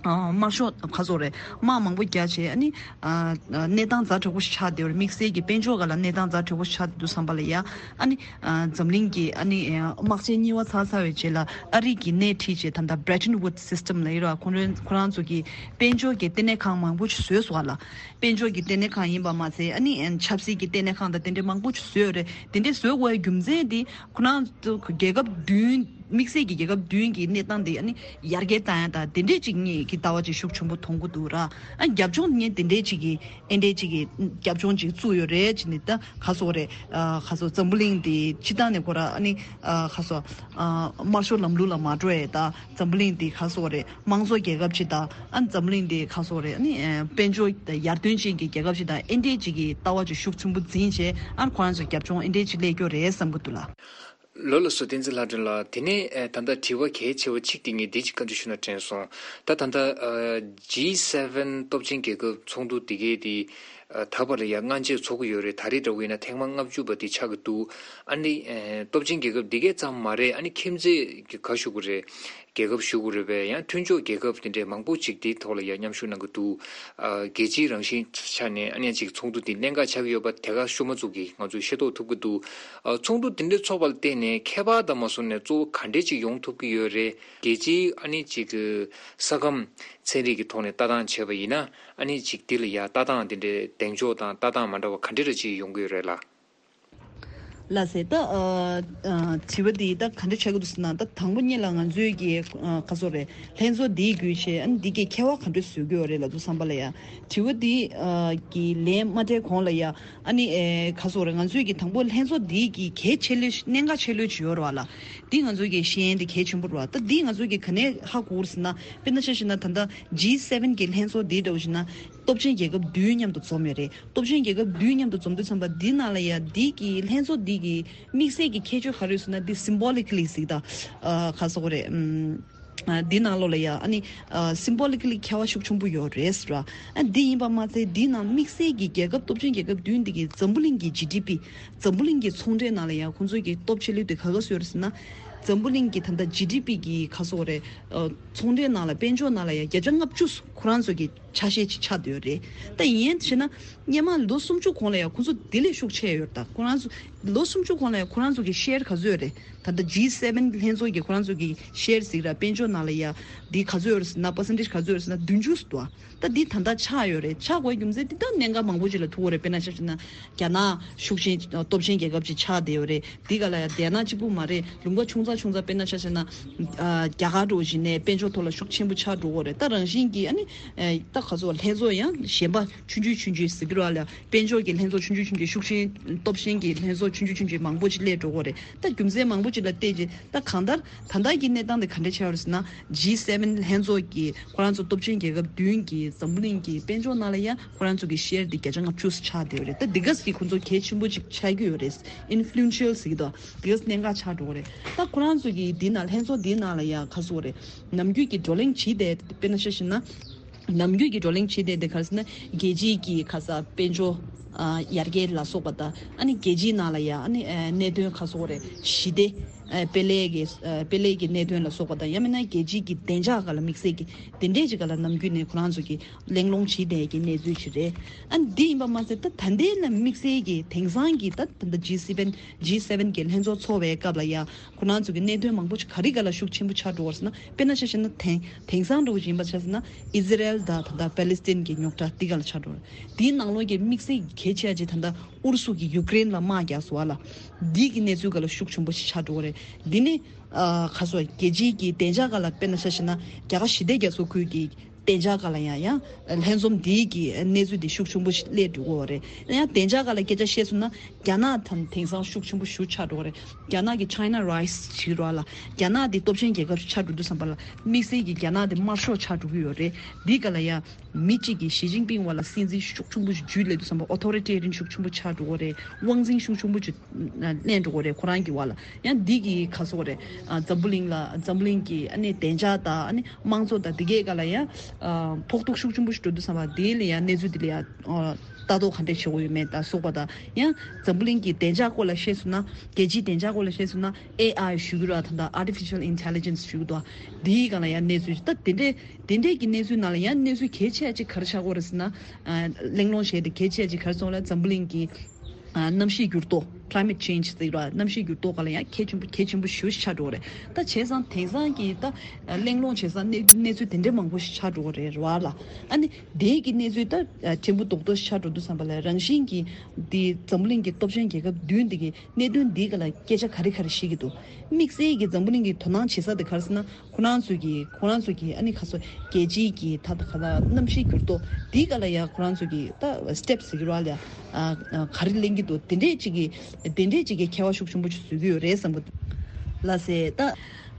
ཨ་དམར་ཤོག་ག་རེ་ཟེར་དགོས་རེད། དམག་མང་པོ་རྒྱག་བྱས། ཨ་ནི་ཨ་གནས་སྟངས་ཛ་དྲག་པོ་ཞིག་ཆགས་བསྡད་ཡོད་རེད། དམིགས་བསལ་གྱི་དཔལ་འབྱོར་སྒང་ལ་གནས་སྟངས་ཛ་དྲག་པོ་ཞིག་ཆགས་བསྡད་འདུག་བསམ་པ་ལ་ཡ། ཨ་ནི་ཨ་འཛམ་གླིང་གི་ཨ་ནི་ཨ་དམག་ཆེན་གཉིས་པ་ཚར་ཚར་བའི་རྗེས་ལ་ཨ་རི་གིས་སྣེ་ཁྲིད་བྱས། ད་ལྟ་Bretton Woods system ལབ་ཡོད་རེད་བ། ཁོ་རང་ཁོ་རང་ཚོ་གིས་དཔལ་འབྱོར་གྱི་ལྟེ་གནས་ཁང་མང་པོ་ཞིག་བཟོས་སོང་བ་ལ། དཔལ་འབྱོར་གྱི་ལྟེ་གནས་ཁང་ཡིན་པ་མ་ཚད། ཨ་ནི་ཨ་ཆབ་སྲིད་ཀྱི་ལྟེ་གནས་ཁང་དང་དེ་འདྲའི་མང་པོ་ཞིག་བཟོས་ཡོད་རེད། དེ་འདྲའི་བཟོ་དགོས་པའི་རྒྱུ་མཚན་དེ་ཁོ་རང་ཚོ་རྒྱལ་ཁབ་བདུན། དམིགས་བསལ་གྱི་རྒྱལ་ཁབ་བདུན་གྱི་གནས་སྟངས་དེ་ཨ་ནི་ཡར་རྒྱས་བཏང་ཡ་དང་དེ་འདྲས་ཅིག་ངེད་ཀྱི་ལྟ་བ་ཅིག་ཤུགས་ཆེན་པོ་མཐོང་གི་འདུག་ར། ཨ་རྒྱབ་ལྗོངས་ངས་དེ་འདྲས་ཅིག་གི་ཨེ་འདྲས་ཅིག་གི་རྒྱབ་ལྗོངས་ཅིག་བཙུགས་ཡོད་རེད་ཅེས་ནི། ད་ག་རེ་ཟེར་དགོས་རེད། ཨ་ག་རེ་ཟེར་དགོས། འཛམ་བུ་གླིང་འདི་སྤྱིར་བཏང་ནས་ཁོ་ར་ཨ་ནི་ཨ་ག་རེ་ཟེར་དགོས། ཨ་དམར་ཤོག་ལམ་ལུགས་ལ་མ་འགྲོ་ཡས་དང་། འཛམ་བུ་གླིང་འདི་ག་རེ་ཟེར་དགོས་རེད། དམངས་གཙོ་རྒྱལ་ཁབ་ཅིག་དང་། ཨ་འཛམ་བུ་གླིང་འདི་ག་རེ་ཟེར་དགོས་རེད། ཨ་ནི་ཨ་དཔལ་འབྱོར་ཡར་ཐོན་ཅན་གྱི་རྒྱལ་ཁབ་ཅིག་དང་། ཨེ་འདྲས་ཅིག་གི་ལྟ་བ་ཅིག་ཤུགས་ཆེན་པོ་འཛིན་བྱས། ཨ་ཁོ་རང་ཚོ་རྒྱབ་ལྗོངས་ཨེ་འདྲས་ཅིག་སླེབས་ཀྱི་ཡོད་རེད་བསམ་གྱི་འདུག་ལགས། ལགས་སོ། བསྟན་འཛིན་ལྷ་སྒྲོན་ལགས། དེ་ནས་ཨ་ད་ལྟ་དྲི་བ་གལ་ཆེ་བ་གཅིག་དེ་ངས་འདི་གཅིག་བཀའ་འདྲི་ཞུ་ན་དྲན་སོང་། ད་ད་ལྟ་ཨ་ཇི་སེ་ཝེན་སྟོབས་ཆེན་རྒྱལ་ཁབ་ཚོགས་འདུ་འདི་གའི་དེ་ཨ་ད་བར་ལ་ཡ་སྔ་རྗེས་ཚོགས་ཀྱི་ཡོད་རེད། ད་རེས་འདྲ་བོ་ཡིན་ན་ཐེངས་མ་ལྔ་བཅུ་པ་དེ་ཆགས་ཀྱི་འདུག་ཨ་ནི་ཨ་སྟོབས་ཆེན་རྒྱལ་ཁབ་འདི་གའི་ཙམ་མ་རེད། ཨ་ནི་ཁྱིམ་མཚེས་ཀྱི་ག་ཞུ་དགོས་རེད། རྒྱལ་ཁབ་ཞུ་དགོས་རེད་པས། ཡང་མཐུན་ཕྱོགས་རྒྱལ་ཁབ་དེ་འདྲའི་མང་པོ་ཅིག་དེའི་ཐོག་ལ་ཡང་མཉམ་ཞུགས་གནང་གི་འདུག་ཨ་རྒྱལ་སྤྱིའི་རང་བཞིན་ཆ་ནས་ཨ་ནི་ཅིག་ཚོགས་འདུ་དེ་གནད་འགག་ཆགས་ཀྱི་ཡོད་པ་དེ་ག་ཤུ་མ་ཚོ་གིས་ང་ཚོས་ཤེས་རྟོགས་ཐུབ་ཀྱི་འདུག་ཨ་ཚོགས་འདུ་དེ་འདྲའི་ཚོགས་པ་ལ་བརྟེན་ནས་ ནས་ཁྱད་པར་དང་མ་བཟུང་ནས་གཙོ་བོ་ག་འདྲས་ཅིག་ཡོང་ཐུབ་ཀྱི་ཡོད་རེད། རྒྱལ་སྤྱིའི་ཨ་ནི་ཅིག་གི་ས་ཁམས་ཚན་རིག་གི་ཐོག་ནས་ལྟ་སྟངས་བྱས་པ་ཡིན་ན། ཨ་ནི་ཅིག་འདི་ལ་ཡ་ལྟ་སྟངས་འདི་འདྲའི་གདེང་འཇོག་དང་ལྟ་སྟངས་མ་འདྲ་བ་ག་འདྲས་རེ་ཅིག་ཡོང་གི་ཡོད་རེད་ལ། ལགས་སེ། ད་ཨ་ཨ་དྲི་བ་འདི་ད་ག་འདྲ་ཆགས་ཀྱི་འདུག་ཟེར་ན། ད་དང་པོ་ཉིད་ལ་ང་ཚོའི་གི་ཨ་ག་ཟེར་རེད། ལྷན་ཚོགས་འདིའི་བརྒྱུད་བྱས་ཨ་ནི་འདི་གའི་ཁྱད་པར་ག་འདྲ་བཟོ་གི་ཡོད་རེད་ལབ་དུས་ཙམ་པ་ལ་ཡ། དྲི་བ་འདི་ཨ་གི་ལན་མ་སྤྲད་གོང་ལ་ཡ། ཨ་ནི་ཨེ་ག་ཟེར་རེད། ང་ཚོའི་གི་དང་པོ་ལྷན་ཚོགས་འདིའི་གི་གལ་ཆེ་ལོས་གནད་འགག་ཆེ་ལོས་ཅིག་ཡོད་རེད་བ་ལ། འདི་ང་ཚོའི་གི་ཤེས་ཡོན་འདི་གལ་ཆེན་པོ་རེད་བ། ད་འདི་ང་ཚོའི་གི་ག་ནས་ཧ་གོ་རེད་ཟེར་ན། དཔེར་ན་ཆ་བཞག་ན་ད་ལྟ་ཇི་སེ་ཝེན་གི་ལྷན་ཚོགས་འདི་འདྲ་བོ་བཞག་ན་སྟོབས་ཆེན་རྒྱལ་ཁབ་བདུན་མཉམ་དུ་འཛོམས་ཡོད་རེད། སྟོབས་ཆེན་རྒྱལ་ཁབ་བདུན་མཉམ་དུ་འཛོམས་དུས་ཙམ་པ་འདི་ནང་ལ་ཡ་འདི་གི་ལྷན་ཚོགས་འདི་གི་དམིགས་བསལ་གྱི་ཁྱད་ཆོས་ག་རེ་ཡོད་ཟེར་ན། འདི་སིམ་བོ་ལི་ཀ་ལི་ཟིག་ད་ཨ་ག་ཟེར་དགོས་རེད། ཨམ། ཨ་འདི་ནང་ལོགས་ལ་ཡ་ཨ་ནི་ཨ་སིམ་བོ་ལི་ཀ་ལི་ཁྱད་པར་ཤུགས་ཆེན་པོ་ཡོད་རེད་ཟེར་བ། ཨ་འདི་ཡིན་པ་མ་ཚད་འདི་ནང་དམིགས་བསལ་གྱི་རྒྱལ་ཁབ་སྟོབས་ཆེན་རྒྱལ་ཁབ་བདུན་འདི་གི་འཛམ་བུ་གླིང་གི་ཇི་ཌི་པི། འཛམ་བུ་གླིང་གི་ཚོང་འབྲེལ་ནང་ལ་ཡ་ཁོང་ཚོ་གི་སྟོབས་ཆེ་ལོས་དེ་ག་ག་སུ་ཡོད་རེད་ཟེར་ན། འཛམ་བུ་གླིང་གི་ད་ལྟ་ཇི་ཌི་པི་གི་ག་ཟེར་དགོས་རེད། ཨ་ཚོང་འབྲེལ་ནང་ལ་དཔལ་འབྱོར་ནང་ལ་ཡ་བརྒྱ་ཆ་ལྔ་བཅུ་ཁོ་རང་ཚོ་གི་ཆ་ཤས་ཅིག་ཆགས་བསྡད་ཡོད་རེད། ད་ཡིན་ཡང་བྱས་ན་སྔོན་མ་ལོ་སུམ་ཅུ་གོང་ལ་ཡང་ཁོང་ཚོ་དེ་ལས་ཤུགས་ཆེ་ཡོད་རེད། ད་ཁོ་རང་ཚོ་ལོ་སུམ་ཅུ་གོང་ལ་ཡང་ཁོ་རང་ཚོ་གི་ཤེར་ག་ཚོད་ཡོད་རེད། ད་ལྟ་ཇི་སེ་ཝེན་ལྷན་ཚོགས་ཀྱི་ཁོ་རང་ཚོ་གི་ཤེར་ཟིག་ར་དཔལ་འབྱོར་ནང་ལ་ཡ་འདི་ག་ཚོད་ཡོད་རེད་ཟེར་ན། པར་སེན་ཊེཇ་ག་ཚོད་ཡོད་རེད་ཟེར་ན་བདུན་ཅུ་ཙམ་འདུག་ད་འདི་ད་ལྟ་ཆགས་ཡོད་རེད། ཆགས་དགོས་རྒྱུ་མཚན་འདི་ད་གནད་འགག་མང་པོ་ཅིག་ལ་ཐུག་ཡོད་རེད། དཔེར་ན་ཆ་བཞག་ན་རྒྱ་ནག་ཤུགས་ཆེན་སྟོབས་ཆེན་རྒྱལ་ཁབ་ཅིག་ཆགས་བསྡད་ཡོད་རེད། འདི་ག་ལ་ཡ་དེ་ན་གཅིག་པུ་མ་རེད། ལུང་པ་ཆུང་ཙག་ཆུང་ཙག་དཔེར་ན་ཆ་བཞག་ན་ཨ་རྒྱ་གར་འདྲ་བོ་ཞིག་ནས་དཔལ་འབྱོར་ཐོག་ལ་ཤུགས་ཆེན་པོ་ཆགས་འགྲོ་གི་ཡོད་རེད། ད་རང་བཞིན་གྱིས་ཨ་ནི་ཨེ་ད་ག་ཚོད་ལྷན་ཚོགས་ཡང་གཞན་པ་ཆུང་ཆུང་ཆུང་ཆུང་ཟེར་གྱི་རེད་ལ། དཔལ་འབྱོར་གྱི་ལྷན་ཚོགས་ཆུང་ཆུང་ཆུང་ཆུང་། ཤུགས་ཆེན་སྟོབས་ཆེན་གྱི་ལྷན་ཚོགས་ཆུང་ཆུང་ཆུང་ཆུང་མང་པོ་ཅིག་སླེབས་འགྲོ་གི་ཡོད་རེད། ད་རྒྱུ་མཚན་མང་པོ་ཅིག་ལ་བལྟས་རྗེས་ད་གང་ལྟར་ད་ལྟ་གི་གནས་སྟངས་དེ་ག་འདྲ་ཆགས་ཡོད་རེད་ཟེར་ན། ཇི་སེ་ཝེན་ལྷན་ཚོགས་ཀྱི་ཁོ་རང་ཚོ་སྟོབས་ཆེན་རྒྱལ་ཁབ་བདུན་གྱི་འཛམ་བུ་གླིང་གི་དཔལ་འབྱོར་ནང་ལ་ཡང་ཁོ་རང་ཚོ་གི་ཤེར་དེ་བརྒྱ་ཆ་ལྔ་བཅུ་ཆགས་བསྡད་ཡོད་རེད། ད་འདི་ག་ཟིག་ཁོ་ཚོ་གལ་ཆེན་པོ་ཅིག་ཆགས་ཀྱི་ཡོད་རེད། ཨིན་ཕུ་ལུ་ཨེན་ཤལ་ཟེར་གྱི་འདུག་འདི་ག་གནད་འགག་ཆགས་འགྲོ་གི་རེད། ད་ཁོ་རང་ཚོ་གི་འདི་ནང་ལྷན་ཚོགས་འདི་ནང་ལ་ཡང་ག་ཟེར་དགོས་རེད། ནམ་རྒྱུན་གྱི་བགྲོ་གླེང་བྱེད་བསྡད་དཔེར་ན་ཆ་བཞག་ན། ནམ་རྒྱུན་གྱི་བགྲོ་གླེང་བྱེད་བསྡད་དེ་ག་རེ་ཟེར་ན། རྒྱལ་སྤྱིའི་གི་ཁ་ས་དཔལ་འབྱོར་ཨ་ཡར་རྒྱས་ལ་སོགས་པ་དང་། ཨ་ནི་རྒྱལ་སྤྱིའི་ནང་ལ་ཡ་ཨ་ནི་ཨ་གནད་དོན་ག་ཟེར་དགོས་རེད། ཞི་བདེ་ཨ་དཔེ་ལས་ཀྱི་ཨ་དཔེ་ལས་ཀྱི་གནད་དོན་ལ་སོགས་པ་དང་། ཡང་མིན་ན་རྒྱལ་སྤྱིའི་གི་བདེ་འཇགས་སྒང་ལ་དམིགས་བསལ་གྱི་དེ་འདྲས་ཅིག་སྒང་ལ་ནམ་རྒྱུན་ནས་ཁོ་རང་ཚོ་གི་གླེང་སློང་བྱེད་བསྡད་ཀྱི་གནས་ཚུལ་ཅིག་རེད། ཨ་ནི་འདི་ཡིན་པ་མ་ཟད་ད་ད་ལྟའི་ལ་དམིགས་བསལ་གྱི་དེང་སང་གི་ད་ད་ལྟ་ཇི་སེ་ཝེན་ཇི་སེ་ཝེན་གྱི་ལྷན་ཚོགས་ཚོགས་པའི་སྐབས་ལ་ཡ། ཁོ་རང་ཚོ་གི་གནད་དོན་མང་པོ་ཅིག་ག་རེ་སྒང་ལ་ཤུགས་ཆེན་པོ་ཆགས་འགྲོ་བ་རེད་ཟེར་ན། དཔེར་ན་ཆ་བཞག་ན་དེང་དེང་སང་འདྲ་བོ་ཅིག་ཡིན་པ་ཆ་བཞག་ན་ཨི་ཟི་རལ་དང་ད་ལྟ་པེ་ལི་སི་ཐན་གྱི་རྙོག་དྲ་འདི་སྒང་ལ་ཆགས་འགྲོ་རེད། དེའི་ནང་ལོགས་ཀྱི་དམིགས་བསལ་གལ་ཆེ་ཆེ་ད་ལྟ་ཨུ་རུ་སུ་གིས་ཡུཀ་རེན་ལ་དམག་རྒྱག་སོང་བ་ལ། འདི་གི་གནས་ཚུལ་སྒང་ལ་ཤུགས་ཆེན་པོ་ཞིག་ཆགས་འགྲོ་གི་རེད། འདི་ནི་ཨ་ག་ཟེར་དགོས་རེད། རྒྱལ་སྤྱིའི་གི་བདེ་འཇགས་སྒང་ལ་དཔེར་ན་ཆ་བཞག་ན་རྒྱ་གར་ཞི་བདེ་རྒྱ་མཚོ་ཁུལ་གྱི་བདེ་འཇགས་སྒང་ལ་ཡང་ཡང་ལྷན་འཛོམས་འདིའི་གི་གནས་ཚུལ་འདི་ཤུགས་ཆེན་པོ་ཞིག་སླེབས་འགྲོ་གི་ཡོད་རེད། ཡང་བདེ་འཇགས་སྒང་ལ་སྐད་ཆ་བཤད་སོང་ན་རྒྱ་ནག་དང་དེང་སང་ཤུགས་ཆེན་པོ་ཞིག་ཆགས་འགྲོ་གི་རེད། རྒྱ་ནག་གི་China Rise་ཞིག་རེད་ལ། རྒྱ་ནག་འདི་སྟོབས་ཆེན་རྒྱལ་ཁབ་ཞིག་ཆགས་འགྲོ་དུས་ཙམ་པ་ལ་དམིགས་བསལ་གྱི་རྒྱ་ནག་འདི་དམར་ཤོག་ཆགས་འགྲོ་གི་ཡོད་རེད། འདིའི་སྒང་ལ་ཡང་མི་གཅིག་གིས་ཞི་ཅིན་ཕིང་བ་ལ་སྲིད་འཛིན་ཤུགས་ཆེན་པོ་ཞིག་བརྒྱུད་སླེབས་དུས་ཙམ་པ་Authoritarian་ཤུགས་ཆེན་པོ་ཆགས་འགྲོ་གི་རེད། དབང་འཛིན་ཤུགས་ཆེན་པོ་ཞིག་ལེན་འགྲོ་གི་རེད་ཁོ་རང་གི་བར་ལ། ཡང་འདི་གི་ག་ཟེར་དགོས་རེད། ཨ་འཛམ་བུ་གླིང་ལ་འཛམ་བུ་གླིང་གི་ཨ་ནི་བདེ་འཇགས་དང་ཨ་ནི་དམངས་གཙོ་དང་འདི་གའི་སྒང་ལ་ཡང་ཨ་ཕོག་ཐུག་ཤུགས་ཆེན་པོ་ཞིག་འགྲོ་དུས་ཙམ་པ་འདི་ལ་ཡང་གནས་ཚུལ་འདི་ལ་ཡང་ཨ་ལྟ་རྟོག་ག་འདྲས་བྱེད་དགོས་ཡོད་མེད་དང་སོགས་པ་དང་། ཡང་འཛམ་བུ་གླིང་གི་བདེ་འཇགས་སྐོར་ལ་བཤད་སོང་ན། རྒྱལ་སྤྱིའི་བདེ་འཇགས་སྐོར་ལ་བཤད་སོང་ན་ཨེ་ཨའི་ཞུ་གི་ར་ད་ལྟ་Artificial Intelligence་ཞུ་གི་འདུག་འདིའི་སྒང་ལ་ཡང་གནས་ཚུལ་ད་དེ་འདྲས་དེ་འདྲས་ཀྱི་གནས་ཚུལ་ནང་ལ་ཡང་གནས་ཚུལ་གལ་ཆེ་ཅིག་ག་རེ་ཆགས་ཀྱི་ཡོད་རེད་ཟེར་ན། ཨ་གླེང་སློང་བྱས་ཏེ་གལ་ཆེ་ཅིག་ག་རེ་སོང་ལ་འཛམ་བུ་གླིང་གི་ཨ་གནམ་གཤིས་འགྱུར་ལྡོག Climate Change་ཟེར་བ་གནམ་གཤིས་འགྱུར་ལྡོག་སྒང་ལ་ཡང་གལ་ཆེན་པོ་གལ་ཆེན་པོ་ཞེ་པོ་ཅིག་ཆགས་འགྲོ་གི་རེད། ད་བྱས་ཙང་དེང་སང་གི་ད་གླེང་སློང་བྱས་ཙང་གནས་གནས་ཚུལ་དེ་འདྲའི་མང་པོ་ཞིག་ཆགས་འགྲོ་གི་རེད་ར་ལ། ཨ་ནི་དེའི་གི་གནས་ཚུལ་ད་ཕྲན་བུ་རྡོག་རྡོག་ཞིག་ཆགས་འགྲོ་དུས་ཙམ་པ་ལ་རང་བཞིན་གྱི་འདི་འཛམ་བུ་གླིང་གི་སྟོབས་ཆེན་རྒྱལ་ཁབ་བདུན་འདི་གི་གནད་དོན་འདིའི་སྒང་ལ་སྐད་ཆ་ག་རེ་ག་རེ་བཤད་ཀྱི་འདུག་དམིགས་བསལ་གྱི་འཛམ་བུ་གླིང་གི་དོ་སྣང་བྱེད་ས་དེ་ག་རེ་ཟེར་ན། ཁོ་རང་ཚོས་ཀྱི་ཁོ་རང་ཚོས་ཀྱི་ཨ་ནི་ཁ་སོ་རྒྱལ་སྤྱིའི་གི་ད་ད་ག་ད་གནམ་གཤིས་འགྱུར་ལྡོག་འདིའི་སྒང་ལ་ཡང་ཁོ་རང་ཚོས་ཀྱི་ད་སི་ཊེབ་ཟེར་གྱི་ར་ལ་ཡ་ཨ་ཨ་ག་རེ་ལེན་གྱི་འདུག་དེ་འདྲས་ཅིག་གི་དེ་འདྲས་ཅིག་གི་ཁྱད་པར་ཤུགས་ཆེན་པོ་ཅིག་བཟོ་གི་ཡོད་རེད་བསམ་གྱི་འདུག་ལགས་སེ། ད་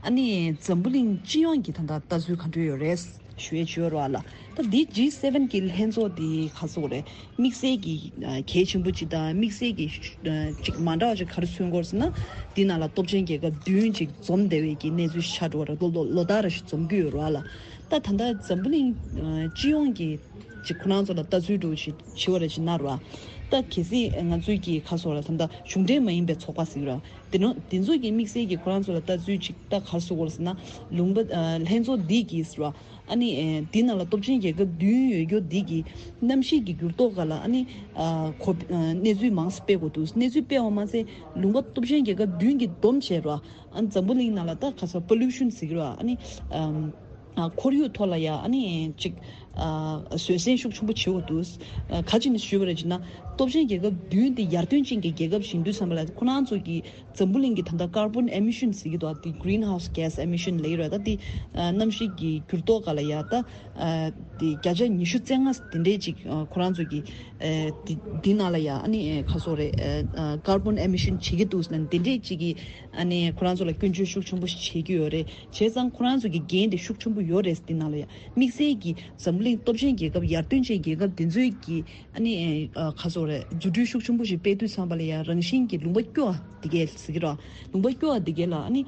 ཨ་ནི་འཛམ་བུ་གླིང་སྤྱི་ཡོངས་ཀྱི་ད་ད་ལྟ་ཚུལ་ག་འདྲ་ཡོད་རེད། ཞུ་ཡས་ཅིག་ཡོད་རེད་བ་ལ། ད་འདི་ཇི་སེ་ཝེན་གྱི་ལྷན་ཚོགས་འདི་ག་ཟེར་དགོས་རེད། དམིགས་བསལ་གྱི་ཨ་གལ་ཆེན་པོ་ཅིག་དང་དམིགས་བསལ་གྱི་ཨ་ཅིག་མ་འདྲ་བ་ཅིག་ག་རེ་མཚོན་གྱི་ཡོད་ཟེར་ན། འདི་ནང་ལ་སྟོབས་ཆེན་རྒྱལ་ཁབ་བདུན་ཅིག་འཛོམས་བསྡད་པའི་གི་གནས་ཚུལ་ཞིག་ཆགས་འགྲོ་བ་རེད། ལོ་ལོ་ལོ་ལྟར་རེ་བཞིན་འཛོམས་ཀྱི་ཡོད་རེད་བ་ལ། ད་ད་ལྟ་འཛམ་བུ་གླིང་ཨ་སྤྱི་ཡོངས་ཀྱི་ཅིག་ཁོ་རང་ཚོ་ལ་ལྟ་ཚུལ་འདྲ་བོ་ཞིག་བྱེད་པ་རེད་ཅེ་ན་ར། ད་གལ་སྲིད་ང་ཚོའི་གི་ཁ་སོགས་ལ་ད་ལྟ་གཞུང་འབྲེལ་མ་ཡིན་པའི་ཚོགས་པ་ཟེར་གྱི་ར། དེ་ནོ་དེ་ཚོ་གི་དམིགས་བསལ་གྱི་ཁོ་རང་ཚོ་ལ་ལྟ་ཚུལ་ཅིག་ད་ག་རེ་ཟེར་དགོས་རེད་ཟེར་ན། ལུང་པ་ཨ་ལྷན་ཚོགས་འདི་གིས་ར། ཨ་ནི་ཨེ་འདི་ནང་ལ་སྟོབས་ཆེན་རྒྱལ་ཁབ་བདུན་ཡོད་རྒྱུ་འདི་གི་གནམ་གཤིས་ཀྱི་འགྱུར་ལྡོག་སྒང་ལ་ཨ་ནི་ཨ་གོ་ཨ་གནས་ཚུལ་མང་ཙམ་སྤེལ་དགོས་འདུག་གནས་ཚུལ་སྤེལ་བ་མ་ཟད་ལུང་པ་སྟོབས་ཆེན་རྒྱལ་ཁབ་བདུན་གྱིས་བསྡོམས་བྱས་ར། ཨ་ནི་འཛམ་བུ་གླིང་ནང་ལ་ད་ག་ས་པོ་ལུ་ཤན་ཟེར་གྱི་ར། ཨ་ནི་ཨམ་ཨ་ཁོར་ཡུག་ཐོག་ལ་ཡ་ཨ་ནི་ཅིག་ཨ་བཟོད་བསྲན་ཤུགས་ཆེན་པོ་བྱེད་དགོས་འདུག་ཨ་ག་ཅི་ནས་ཞུས་པ་རེད་ཅེ་ན། སྟོབས་ཆེན་རྒྱལ་ཁབ་བདུན་དེ་ཡར་ཐོན་ཅན་གྱི་རྒྱལ་ཁབ་ཞིག་ཡིན་དུས་ཙམ་པ་ལ་ཁོ་རང་ཚོ་གི་འཛམ་བུ་གླིང་གི་ད་ལྟ་ཀར་བོན་ཨེ་མི་ཤན་ཟེར་གྱི་འདུག་དེ་greenhouse gas emission ལབ་ཀྱི་རེད། ད་དེ་ཨ་གནམ་གཤིས་ཀྱི་འགྱུར་ལྡོག་སྒང་ལ་ཡ་ད་ཨ་དེ་བརྒྱ་ཆ་ཉི་ཤུ་རྩ་ལྔ་དེ་འདྲས་ཅིག་ཨ་ཁོ་རང་ཚོ་གི་ཨ་དེ་དེ་ནང་ལ་ཡ་ཨ་ནི་ཨ་ག་རེ་ཟེར་དགོས་རེད། ཨ་ཀར་བོན་ཨེ་མི་ཤན་བྱེད་ཀྱི་འདུག་ཟེར་ན་དེ་འདྲས་ཅིག་གི་ཨ་ནི་ཁོ་རང་ཚོ་ལ་སྐྱོན་བརྗོད་ཤུགས་ཆེན་པོ་ཞིག་བྱེད་ཀྱི་ཡོད་རེད། བྱས་ཙང་ཁོ་རང་ཚོ་གི་འགན་དེ་ཤུགས་ཆེན་པོ་ཡོད་རེད། དེ་ནང་ལ་ཡ་དམིགས་བསལ་གྱི་འཛམ་གླིང་སྟོབས་ཆེན་རྒྱལ་ཁབ་ཡར་ཐོན་ཅན་རྒྱལ་ཁབ་དེ་ཚོའི་གི་ཨ་ནི་ཨ་ག་རེ་ཟེར་དགོས་རེད། རྫུ་འཕྲུལ་ཤུགས་ཆེན་པོ་ཞིག་སྤེལ་དུས་ཙམ་པ་ལ་ཡ་རང་བཞིན་གྱི་ལུང་པ་སྐྱོ་བ་དེ་གས་ཟེར་གྱི་རེད། ལུང་པ་སྐྱོ་བ་དེ་གས་ལ་ཨ་ནི་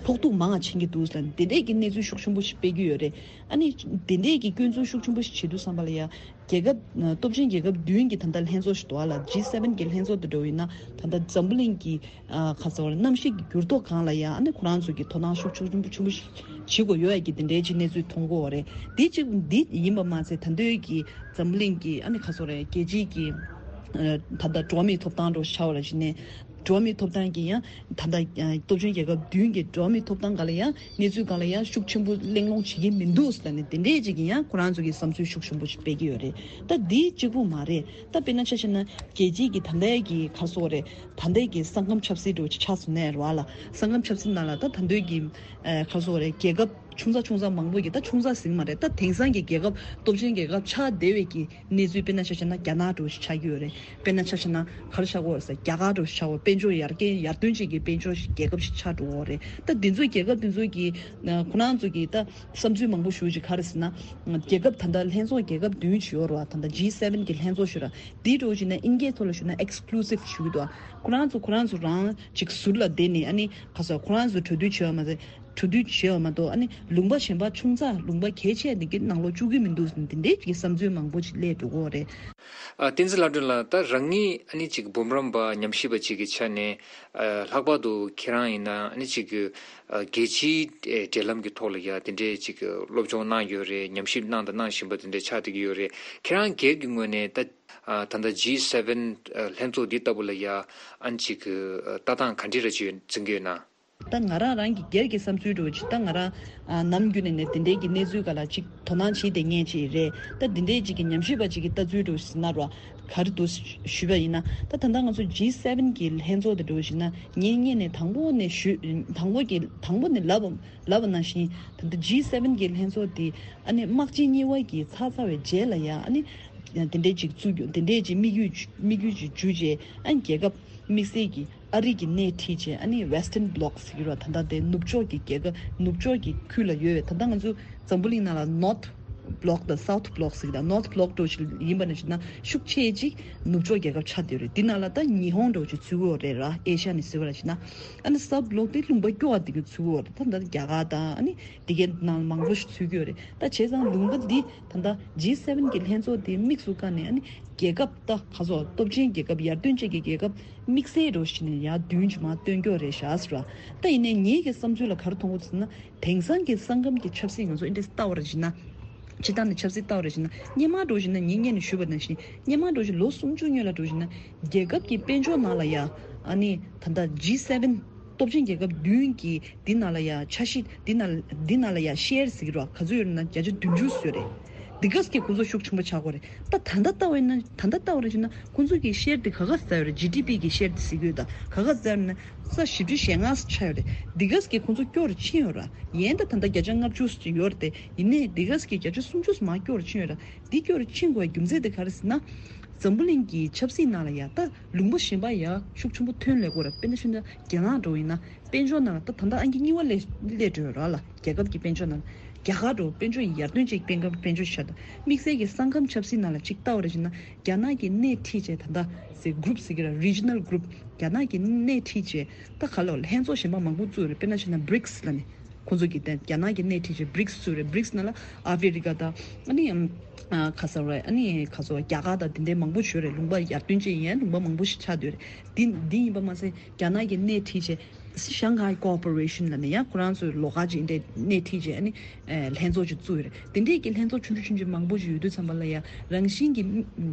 ཕོག་ཐུག་མང་བ་ཕྱིན་གྱི་འདུག་ཟེར་ནས་དེ་འདྲས་ཀྱི་གནས་ཚུལ་ཤུགས་ཆེན་པོ་ཞིག་སྤེལ་གྱི་ཡོད་རེད། ཨ་ནི་དེ་འདྲས་ཀྱི་སྐྱོན་འཛུགས་ཤུགས་ཆེན་པོ་ཞིག་བྱེད་དུས་ཙམ་པ་ལ་ཡ་རྒྱལ་ཁབ་ཨ་སྟོབས་ཆེན་རྒྱལ་ཁབ་བདུན་གྱི་ད་ལྟ་ལྷན་ཚོགས་ཤིག་འདུག་ཨ་ལ། ཇི་སེ་བེན་གྱི་ལྷན་ཚོགས་དེ་འདྲ་བོ་ཡིན་ན་ད་ལྟ་འཛམ་བུ་གླིང་གི་ཨ་ག་རེ་ཟེར་དགོས་རེད། གནམ་གཤིས་ཀྱི་འགྱུར་ལྡོག་སྒང་ལ་ཡ་ཨ་ནི་ཁོ་རང་ཚོ་གི་དོ་སྣང་ཤུགས་ཆེན་པོ་ཆེན་པོ་ཞིག་བྱེད་དགོས་ཡོད་ཡ་གི་དེ་འདྲའི་ཅིག་གནས་ཚུལ་མཐོང་གི་ཡོད་རེད། དེ་གཅིག་འདི་ཡིན་པ་མ་ཟད་ད་ལྟའི་གི་འཛམ་བུ་གླིང་གི་ཨ་ནི་ག་རེ་ཟེར་དགོས་རེད། རྒྱལ་སྤྱིའི་གི་ཨ་ད་ལྟ་འགྲོ་བ་མིའི་ཐོབ་ཐང་འདྲ་བོ་ཆགས་པ་ལ་གཞིགས་ནས། འགྲོ་བ་མིའི་ཐོབ་ཐང་གི་ཡང་ད་ལྟ་ཨ་སྟོབས་ཆེན་རྒྱལ་ཁབ་བདུན་གྱི་འགྲོ་བ་མིའི་ཐོབ་ཐང་སྒང་ལ་ཡང་གནས་ཚུལ་སྒང་ལ་ཡང་ཤུགས་ཆེན་པོ་གླེང་སློང་བྱེད་ཀྱི་མི་འདུག་ཟེར་ནས་དེ་འདྲས་ཅིག་གི་ཡང་ཁོ་རང་ཚོ་གི་བསམ་ཚུལ་ཤུགས་ཆེན་པོ་ཞིག་སྤེལ་གྱི་ཡོད་རེད། ད་འདི་གཅིག་པུ་མ་རེད། ད་དཔེར་ན་ཆ་བཞག་ན་རྒྱལ་སྤྱིའི་གི་ད་ལྟའི་གི་ག་རེ་ཟེར་དགོས་རེད། ད་ལྟའི་གི་ས་ཁམས་ཆབ་སྲིད་འདྲ་བོ་ཅིག་ཆགས་སོང་ནའི་རེད་བ་ལ། ས་ཁམས་ཆབ་སྲིད་ནང་ལ་ད་ད་ལྟའི་གི་ཨ་ག་རེ་ཟེར་དགོས་རེད། རྒྱལ་ཁབ་ཆུང་ཙག་ཆུང་ཙག་མང་པོ་གི་ད་ཆུང་ཙག་ཟེར་གྱི་མ་རེད། ད་དེང་སང་གི་རྒྱལ་ཁབ་སྟོབས་ཆེན་རྒྱལ་ཁབ་ཆགས་བསྡད་པའི་གི་གནས་ཚུལ་དཔེར་ན་ཆ་བཞག་ན་རྒྱ་ནག་འདྲ་བོ་ཞིག་ཆགས་ཀྱི་ཡོད་རེད། དཔེར་ན་ཆ་བཞག་ན་ག་རེ་ཆགས་ཀྱི་ཡོད་རེད་ཟེར། རྒྱ་གར་འདྲ་བོ་ཞིག་ཆགས་ཀྱི་ཡོད། དཔལ་འབྱོར་ཡར་རྒྱས་ཡར་ཐོན་ཅན་གྱི་དཔལ་འབྱོར་ཞིག་རྒྱལ་ཁབ་ཞིག་ཆགས་འགྲོ་གི་ཡོད་རེད། ད་འདི་ཚོ་རྒྱལ་ཁབ་འདི་ཚོ་གི་ཁོ་རང་ཚོ་གི་ད་བསམ་ཚུལ་མང་པོ་ཞེ་པོ་ཅིག་ག་རེ་ཟེར་ན། རྒྱལ་ཁབ་ད་ལྟ་ལྷན་ཚོགས་རྒྱལ་ཁབ་བདུན་ཞིག་ཡོད་རེད་བ། ད་ལྟ་ཇི་སེ་བེན་གྱི་ལྷན་ཚོགས་ཞིག་ར། འདི་འདྲ་བོ་ཞིག་ན་དབྱིན་སྐད་ཐོག་ལ་ཞུས་ན་ཨེགས་ཀུ་ལུ་སིབ་ཞུ་གི་འདུག་ཁོ་རང་ཚོ་ཁོ་རང་ཚོ་རང་ཅིག་ཟུར་ལ་བསྡད་ནས་ཨ་ནི་ག་རེ་ཟེར། ཁོ་རང་ཚོ་གྲོས་བསྡུར་བྱས་པ་མ་ཟད། གྲོས་བསྡུར་བྱས་པ་མ་གཏོགས་ཨ་ནི་ལུང་པ་གཞན་པ་ཆུང་ཙག་ལུང་པ་གལ་ཆེ་འདི་གི་ནང་ལོགས་བཅུག་གི་མི་འདུག་ཟེར་ནས་དེ་འདྲའི་གི་བསམ་ཚུལ་མང་པོ་ཅིག་སླེབས་འགྲོ་གི་ཡོད་རེད། ཨ་བསྟན་འཛིན་ལྷ་སྒྲོན་ལགས། ད་རང་ཉིད་ཨ་ནི་ཅིག་འབུམ་རམས་པ་ཉམས་ཞིབ་པ་ཅིག་གི་ཆ་ནས་ཨ་ལྷག་པར་དུ་ཁྱེད་རང་ཡིན་ན་ཨ་ནི་ཅིག་གི་ཨ་རྒྱལ་སྤྱིའི་ཨེ་འབྲེལ་ལམ་གྱི་ཐོག་ལ་ཡ་དེ་འདྲའི་ཅིག་གི་སློབ་སྦྱོང་གནང་ཡོད་རེད། ཉམས་ཞིབ་གནང་དང་གནང་བཞིན་པ་དེ་འདྲ་ཆགས་བསྡད་ཀྱི་ཡོད་རེད། ཁྱེད་རང་སྒེར་གྱི་ངོས་ནས་ད་ཨ་ད་ལྟ་ཇི་སེ་བེན་ཨ་ལྷན་ཚོགས་འདི་ལྟ་བུ་ལ་ཡ་ཨ་ནི་ཅིག་གི་ཨ་ལྟ་སྟངས་ག་འདྲ་རེ་ཅིག་འཛིན་གྱི་ཡོད་ན། ད་ང་རང་རང་གི་སྒེར་གྱི་བསམ་ཚུལ་འདྲ་བོ་ཅིག་ད་ང་རང་ཨ་ནམ་རྒྱུན་ནས་ནས་དེ་འདྲའི་གི་གནས་ཚུལ་སྒང་ལ་ཅིག་དོ་སྣང་བྱེད་བསྡད་མཁན་ཅིག་རེད། ད་འདི་འདྲའི་ཅིག་གི་ཉམས་ཞིབ་པ་ཅིག་གི་ལྟ་ཚུལ་འདྲ་བོ་ཞིག་ཟེར་ན་ར་ག་རེ་འདུག་ཞུས་པ་ཡིན་ན། ད་ད་ལྟ་ང་ཚོ་ཇི་སེ་བེན་གི་ལྷན་ཚོགས་དེ་འདྲ་བོ་ཞིག་ན་ངས་སྔོན་ནས་དང་པོ་ནས་ཞུས། དང་པོ་གི་དང་པོ་ནས་ལབ་ལབ་པ་ནང་བཞིན་ད་ལྟ་ཇི་སེ་བེན་གི་ལྷན་ཚོགས་དེ་ཨ་ནི་དམག་ཆེན་གཉིས་པ་གི་ཚར་ཚར་བའི་རྗེས་ལ་ཡ་ཨ་ནི་དེ་འདྲའི་ཅིག་བཙུགས་རྒྱུ་དེ་འདྲའི་ཅིག་དམིགས་ཡུལ་དམིགས་ཡུལ་ཅིག་འཇུས་རྗེས་ཨ་ནི་རྒྱལ་ཁབ་དམིགས་བསལ་གྱི་ཨ་རི་གི་སྣེ་ཁྲིད་བྱས་ཨ་ནི་Western Bloc་ཟེར་གྱི་རེད་བ། ད་ལྟ་དེ་ནུབ་ཕྱོགས་ཀྱི་རྒྱལ་ཁབ་ནུབ་ཕྱོགས་ཀྱི་ཁུལ་ལ་ཡོད་པའི་ད་ལྟ་ང་ཚོ་འཛམ་བུ་གླིང་ནང་ལ་North Bloc་དང་South Bloc་ཟེར་གྱི་ད་North Bloc་འདྲ་བོ་ཞིག་ཡིན་པ་ནང་བཞིན་ན་ཤུགས་ཆེ་ཅིག་ནུབ་ཕྱོགས་རྒྱལ་ཁབ་ཆགས་བསྡད་ཡོད་རེད། འདི་ནང་ལ་ད་ཉི་ཧོང་འདྲ་བོ་ཞིག་ཚུད་ཀྱི་ཡོད་རེད་ར། ཨེ་ཤ་ནས་ཟེར་བ་ལ་བྱས་ན་ཨ་ནི་South Bloc་དེ་ལུང་པ་སྐྱོ་བ་དེ་གི་ཚུད་ཀྱི་ཡོད་རེད། ད་ད་རྒྱ་གར་དང་ཨ་ནི་དེ་གའི་ནང་མང་པོ་ཞིག་ཚུད་ཀྱི་ཡོད་རེད། ད་བྱས་ཙང་ལུང་པ་འདི་ད་ད་ཇི་སེ་བེན་གི་ལྷན་ཚོགས་དེ་དམིགས་སུ་བཀར་ནས་ཨ་ནི་རྒྱལ་ཁབ་ད་ག་ཚོད་སྟོབས་ཆེན་རྒྱལ་ཁབ་ཡར་ཐོན་ཅན་གྱི་རྒྱལ་ཁབ་དམིགས་བསལ་འདྲ་བོ་ཞིག་ནས་ཡར་བདུན་ཅིག་མར་བཏོན་རྒྱུ་རེད་ཤག་ཟེར་བ། ད་ཡིན་ནའི་ངེད་ཀྱི་བསམ་ཚུལ་ལ་ག་རེ་མཐོང་གི་འདུག་ཟེར་ན། དེང་སང་གི་ས་ཁམས་ཀྱི་ཆབ་སྲིད་ང་ཚོ་ཨིན་ཌི་ལྟ་བ་རེ་བྱས་ན། སྤྱིར་བཏང་ནས་ཆབ་སྲིད་ལྟ་བ་རེ་བྱས་ན་སྔོན་མ་འདྲ་བོ་བྱས་ན་ངས་སྔོན་ནས་ཞུས་པ་ནང་བཞིན་སྔོན་མ་འདྲ་བོ་བྱས་ལོ་སུམ་ཅུ་སྔོན་ལ་འདྲ་བོ་བྱས་ན་རྒྱལ་ཁབ་ཀྱི་དཔལ་འབྱོར་ནང་ལ་ཡ་ཨ་ནི་ད་ལྟ་ཇི་སེ་བེན་སྟོབས་ཆེན་རྒྱལ་ཁབ་བདུན་གྱི་འདི་ནང་ལ་ཡ་ཆ་ཤས་འདི་ནང་འདི་ནང་ལ་ཡ་ཤེར་ཟེར་གྱི་རེད་བ། ག་ཚོད་ཡོད་ན་བརྒྱ་ཆ་བདུན་ཅུ་ཡོད་རེད། འདི་ག་ཙམ་གྱི་ཁོང་ཚོ་ཤུགས་ཆེན་པོ་ཆགས་ཀྱི་ཡོད་རེད། ད་ད་ལྟ་ལྟ་བ་ཡིན་ན་ད་ལྟ་ལྟ་བ་རེ་བྱས་ན་ཁོང་ཚོ་གི་ཤེར་དེ་ག་ག་ཙམ་ཡོད་རེད། ཇི་ཌི་པི་གི་ཤེར་དེ་ཟེར་གྱི་ཡོད་ད། ག་ག་ཙམ་ཡོད་ན་ས་བཞི་བཅུ་ཞེ་ལྔ་ཙམ་ཆགས་ཡོད་རེད། འདི་ག་ཙམ་གྱི་ཁོང་ཚོ་སྐྱོ་རུ་ཕྱིན་ཡོད་ར། ཡིན་ད་ད་ལྟ་བརྒྱ་ཆ་ལྔ་བཅུ་ཙམ་ཡོད་རེད་དེ། ཡིན་ནའི་འདི་ག་ཙམ་གྱི་བརྒྱ་ཆ་སུམ་ཅུ་ཙམ་མར་སྐྱོ་རུ་ཕྱིན་ཡོད་ར། འདི་སྐྱོ་རུ་ཕྱིན་དགོས་པའི་རྒྱུ་མཚན་དེ་ག་རེ་ཟེར་ན། འཛམ་བུ་གླིང་གི་ཆབ་སྲིད་ནང་ལ་ཡ་ད་ལུང་པ་གཞན་པ་ཡ་ཤུགས་ཆེན་པོ་ཐོན་སླེབས་ཀྱི་ཡོད་ར། དཔེར་ན་ཆ་བཞག་ན་རྒྱ་ནག་འདྲ་བོ་ཡིན་ན་དཔལ་འབྱོར་ནང་ལ་ད་ད་ལྟ་ཨང་ཀི་གཉིས་པ་སླེབས་སླེབས་འགྲོ་ཡོད་ར་ལ། རྒྱལ་ཁབ་ཀྱི་དཔལ་འབྱོར་ནང་ལ། རྒྱ་གར་འདྲ་བོ་དཔལ་འབྱོར་ཡར་ཐོན་ཅན་གྱི་དཔལ་འབྱོར་དཔལ་འབྱོར་ཆགས་འདུག་དམིགས་བསལ་གྱི་ས་ཁམས་ཆབ་སྲིད་ནང་ལ་ཅིག་ལྟ་བ་རེ་བྱས་ན་རྒྱ་ནག་གི་སྣེ་ཁྲིད་བྱས་ད་ལྟ་ཟེར་གུ་རུབ་ཟེར་གྱི་ར། Regional Group་རྒྱ་ནག་གི་སྣེ་ཁྲིད་བྱས་ད་ག་ལ་ལྷན་ཚོགས་གཞན་པ་མང་པོ་བཙུགས་རེད། དཔེར་ན་བྱས་ན་བྷི་རིགས་ལབ་ནས། ཁོང་ཚོ་གི་དེ་རྒྱ་ནག་གི་སྣེ་ཁྲིད་བྱས་བྷི་རིགས་བཙུགས་རེད། བྷི་རིགས་ནང་ལ་ཨ་ཧྥེ་རི་ཀ་དང་ཨ་ནི་ཨམ་ཨ་ག་ས་རེད། ཨ་ནི་ག་ས་རྒྱ་གར་དང་དེ་འདྲའི་མང་པོ་ཞིག་ཡོད་རེད། ལུང་པ་ཡར་ཐོན་ཅན་ཡིན་ཡང་ལུང་པ་མང་པོ་ཞིག་ཆགས་བསྡད་ཡོད་རེད། དེ་འདི་ཡིན་པ་མ་ཟད་རྒྱ་ནག་གི་སྣེ་ཁྲིད་བྱས་Shanghai Cooperation ལབ་ནས་ཡང་ཁོ་རང་ཚོའི་ལོགས་ཀ་ཅིག་འདྲ་སྣེ་ཁྲིད་བྱས་ཨ་ནི་ལྷན་ཚོགས་ཅིག་བཙུགས་ཡོད་རེད། དེ་འདྲའི་གི་ལྷན་ཚོགས་ཆུང་ཆུང་ཆུང་ཆུང་མང་པོ་ཞིག་ཡོད་དུས་ཙམ་པ་ལ་ཡང་རང་བཞིན་གྱི་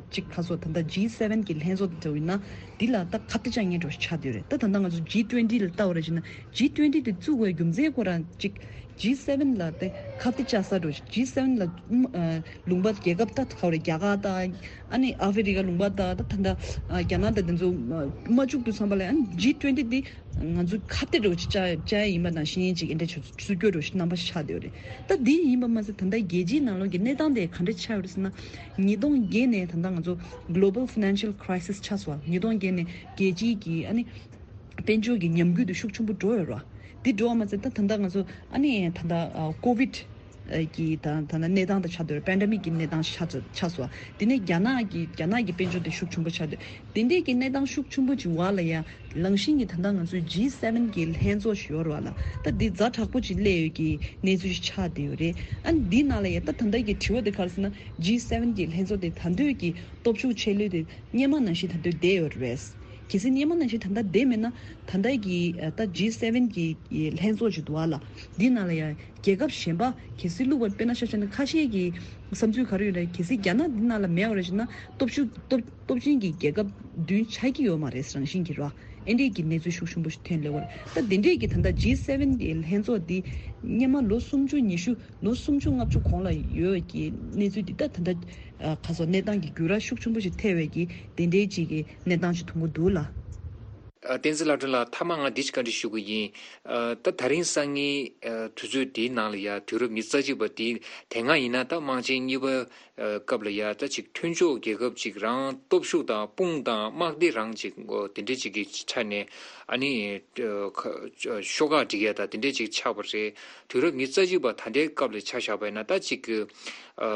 ཅིག་ག་ས་ད་ལྟ་ཇི་སེ་ཝེན་གི་ལྷན་ཚོགས་དེ་འདྲ་ཡིན་ན་འདི་ལ་ད་ཁ་གཏད་བཅག་མཁན་འདྲ་ཞིག་ཆགས་བསྡད་ཡོད་རེད། ད་ད་ལྟ་ང་ཚོ་ཇི་ཊུ་ཝེན་ཊི་ལ་ལྟ་བ་རེད་བྱས་ན་ཇི་ཊུ་ཝེན་ཊི་དེ་བཙུགས་པའི་རྒྱུ་མཚན་ཁོ་རང་ཅིག་ཇི་སེ་ཝེན་ལ་དེ་ཁ་གཏད་བཅག་ས་འདྲ་ཞིག་ཇི་སེ་ཝེན་ལ་ཨ་ལུང་པ་རྒྱལ་ཁབ་ད་ག་རེ་རྒྱ་གར་དང་ཨ་ནི་ཨ་ཧྥེ་རི་ཀ་ལུང་པ་དང་ད་ད་ལྟ་རྒྱ་ནག་དང་དེ་ཚོ་མ་བཅུག་དུས་ཙམ་པ་ལ་ཨ་ནི་ཇི་ཊུ་ཝེན་ཊི་འདི་ང་ཚོ་ཁ་གཏད་འདྲ་ཞིག་བཅག་བཅག་ཡ་ཡིན་པ་ནང་བཞིན་ཅིག་འདི་འདྲ་ཞིག་སུ་སྐྱོ་འདྲ་ཞིག་རྣམ་པ་ཞིག་ཆགས་བསྡད་ཡོད་རེད། ད་འདི་ཡིན་པ་མ་ཟད་ད་ལྟ་རྒྱལ་སྤྱིའི་ནང་ལོགས་ཀྱི་གནས་སྟངས་དེ་ག་འདྲ་ཆགས་ཡོད་རེད་ཟེར་ན། ཉིས་སྟོང་བརྒྱད་ནས་ད་ལྟ་ང་ཚོ་Global Financial Crisis ཆགས་སོང་། ཉིས་སྟོང་བརྒྱད་ནས་རྒྱལ་སྤྱིའི་གི་ཨ་ནི་དཔལ་འབྱོར་གྱི་ཉམས་རྒུད་དེ་ཤུགས་ཆེན་པོ་འགྲོ་ཡོད་རེད་བ། འདི་འགྲོ་བ་མ་ཟད་ད་ད་ལྟ་ང་ཚོ་ཨ་ནི་ད་ལྟ་ཨ་ཀོ་ཝིད་ཀྱི་ད་ད་ལྟ་གནས་སྟངས་དང་ཆགས་བསྡད་རེད། པེན་ཌེ་མིག་གི་གནས་སྟངས་ཆགས་ཆགས་སོང་། དེ་ནས་རྒྱ་ནག་གི་རྒྱ་ནག་གི་དཔལ་འབྱོར་དེ་ཤུགས་ཆེན་པོ་ཆགས་བསྡད། དེ་འདྲའི་གི་གནས་སྟངས་ཤུགས་ཆེན་པོ་ཅིག་བར་ལ་ཡང་ལང་ཤིང་གི་ད་ལྟ་ང་ཚོའི་ཇི་སེ་ཝེན་གི་ལྷན་ཚོགས་ཤིག་ཡོད་རེད་བ་ལ། ད་འདི་ཛ་དྲག་པོ་ཅིག་སླེབས་ཡོད་ཀྱི་གནས་ཚུལ་ཞིག་ཆགས་བསྡད་ཡོད་རེད། ཨ་ནི་འདི་ནང་ལ་ཡང་ད་ད་ལྟ་གི་དྲི་བ་དེ་ག་རེ་ཟེར་ན་ཇི་སེ་ཝེན་གི་ལྷན་ཚོགས་དེ་ད་ལྟའི་གི་སྟོབས་ཤུགས་ཆེ་ལོས་དེ་སྔོན་མ་ནང་བཞིན་ད་ལྟ་བསྡད་ཡོད་རེད། གལ་སྲིད་སྔོན་མ་ནང་བཞིན་ད་ལྟ་བསྡད་མེད་ན་ད་ལྟ་གི་ད་ཇི་སེ་ཝེན་གི་ལྷན་ཚོགས་ཅིག་འདུག་བ་ལ། འདི་ནང་ལ་ཡང་རྒྱལ་ཁབ་གཞན་པ་གལ་སྲིད་བླུགས་པ་དཔེར་ན་ཆ་བཞག་ན་ཁ་ཤས་ཀྱི་བསམ་ཚུལ་ག་རེ་ཡོད་རེད། གལ་སྲིད་རྒྱ་ནག་འདི་ནང་ལ་མེད་པ་རེད་ཟེར་ན་སྟོབས་ཤུགས་སྟོབས་སྟོབས་ཆེན་གྱི་རྒྱལ་ཁབ་བདུན་ཆགས་ཀྱི་ཡོད་མ་རེད། རང་བཞིན་གྱིས་ར་ཨེ་འདྲས་ཀྱི་གནས་ཚུལ་ཤུགས་ཆེན་པོ་ཞིག་ཐོན་སླེབས་པ་རེད། ད་དེ་འདྲས་ཀྱི་ད་ལྟ་ཇི་སེ་ཝེན་གྱི་ལྷན་ཚོགས་འདི་སྔོན་མ་ལོ་སུམ་ཅུ་ཉི་ཤུ་ལོ་སུམ་ཅུ་ལྔ་བཅུ་གོང་ལ་ཡོད་ཀྱི་གནས་ཚུལ་འདི་ད་ད་ལྟ་ཁ་སོ་གནས་སྟངས་ཀྱི་འགྱུར་བ་ཤུགས་ཆེན་པོ་ཞིག་ཐེབས་པའི་གི་དེ་འདྲའི་ཅིག་གི་གནས་སྟངས་ཤིག་མཐོང་གི་འདུག་ལ། ཨ། བསྟན་འཛིན་ལྷ་སྒྲོན་ལགས། མཐའ་མ་ང་འདི་ཅིག་བཀའ་འདྲི་ཞུ་གི་ཡིན། ཨ། ད་ད་རིང་སང་ཉིན་ཨ་དུས་ཚོད་འདིའི་ནང་ལ་ཡ་དུས་རབས་ཉི་ཤུ་རྩ་གཅིག་པ་འདི་དེ་སྔ་ཡིན་ན་ད་དམག་ཆེན་གཉིས་པ་ཨ་སྐབས་ལ་ཡ་ད་ཅིག་མཐུན་ཕྱོགས་རྒྱལ་ཁབ་ཅིག་རང་སྟོབས་ཤུགས་དང་དཔུང་དང་དམག་སྡེ་རང་ཅིག་འོ་དེ་འདྲས་ཅིག་གི་ཆ་ནས་ཨ་ནི་ཨ་ཤོག་ཁག་སྒྲིག་ཡ་ད་དེ་འདྲས་ཅིག་ཆགས་པ་རེད། དུས་རབས་ཉི་ཤུ་རྩ་གཅིག་པ་ད་ལྟའི་སྐབས་ལ་ཆ་བཞག་པ་ཡིན་ན་ད་ཅིག་གི་ཨ་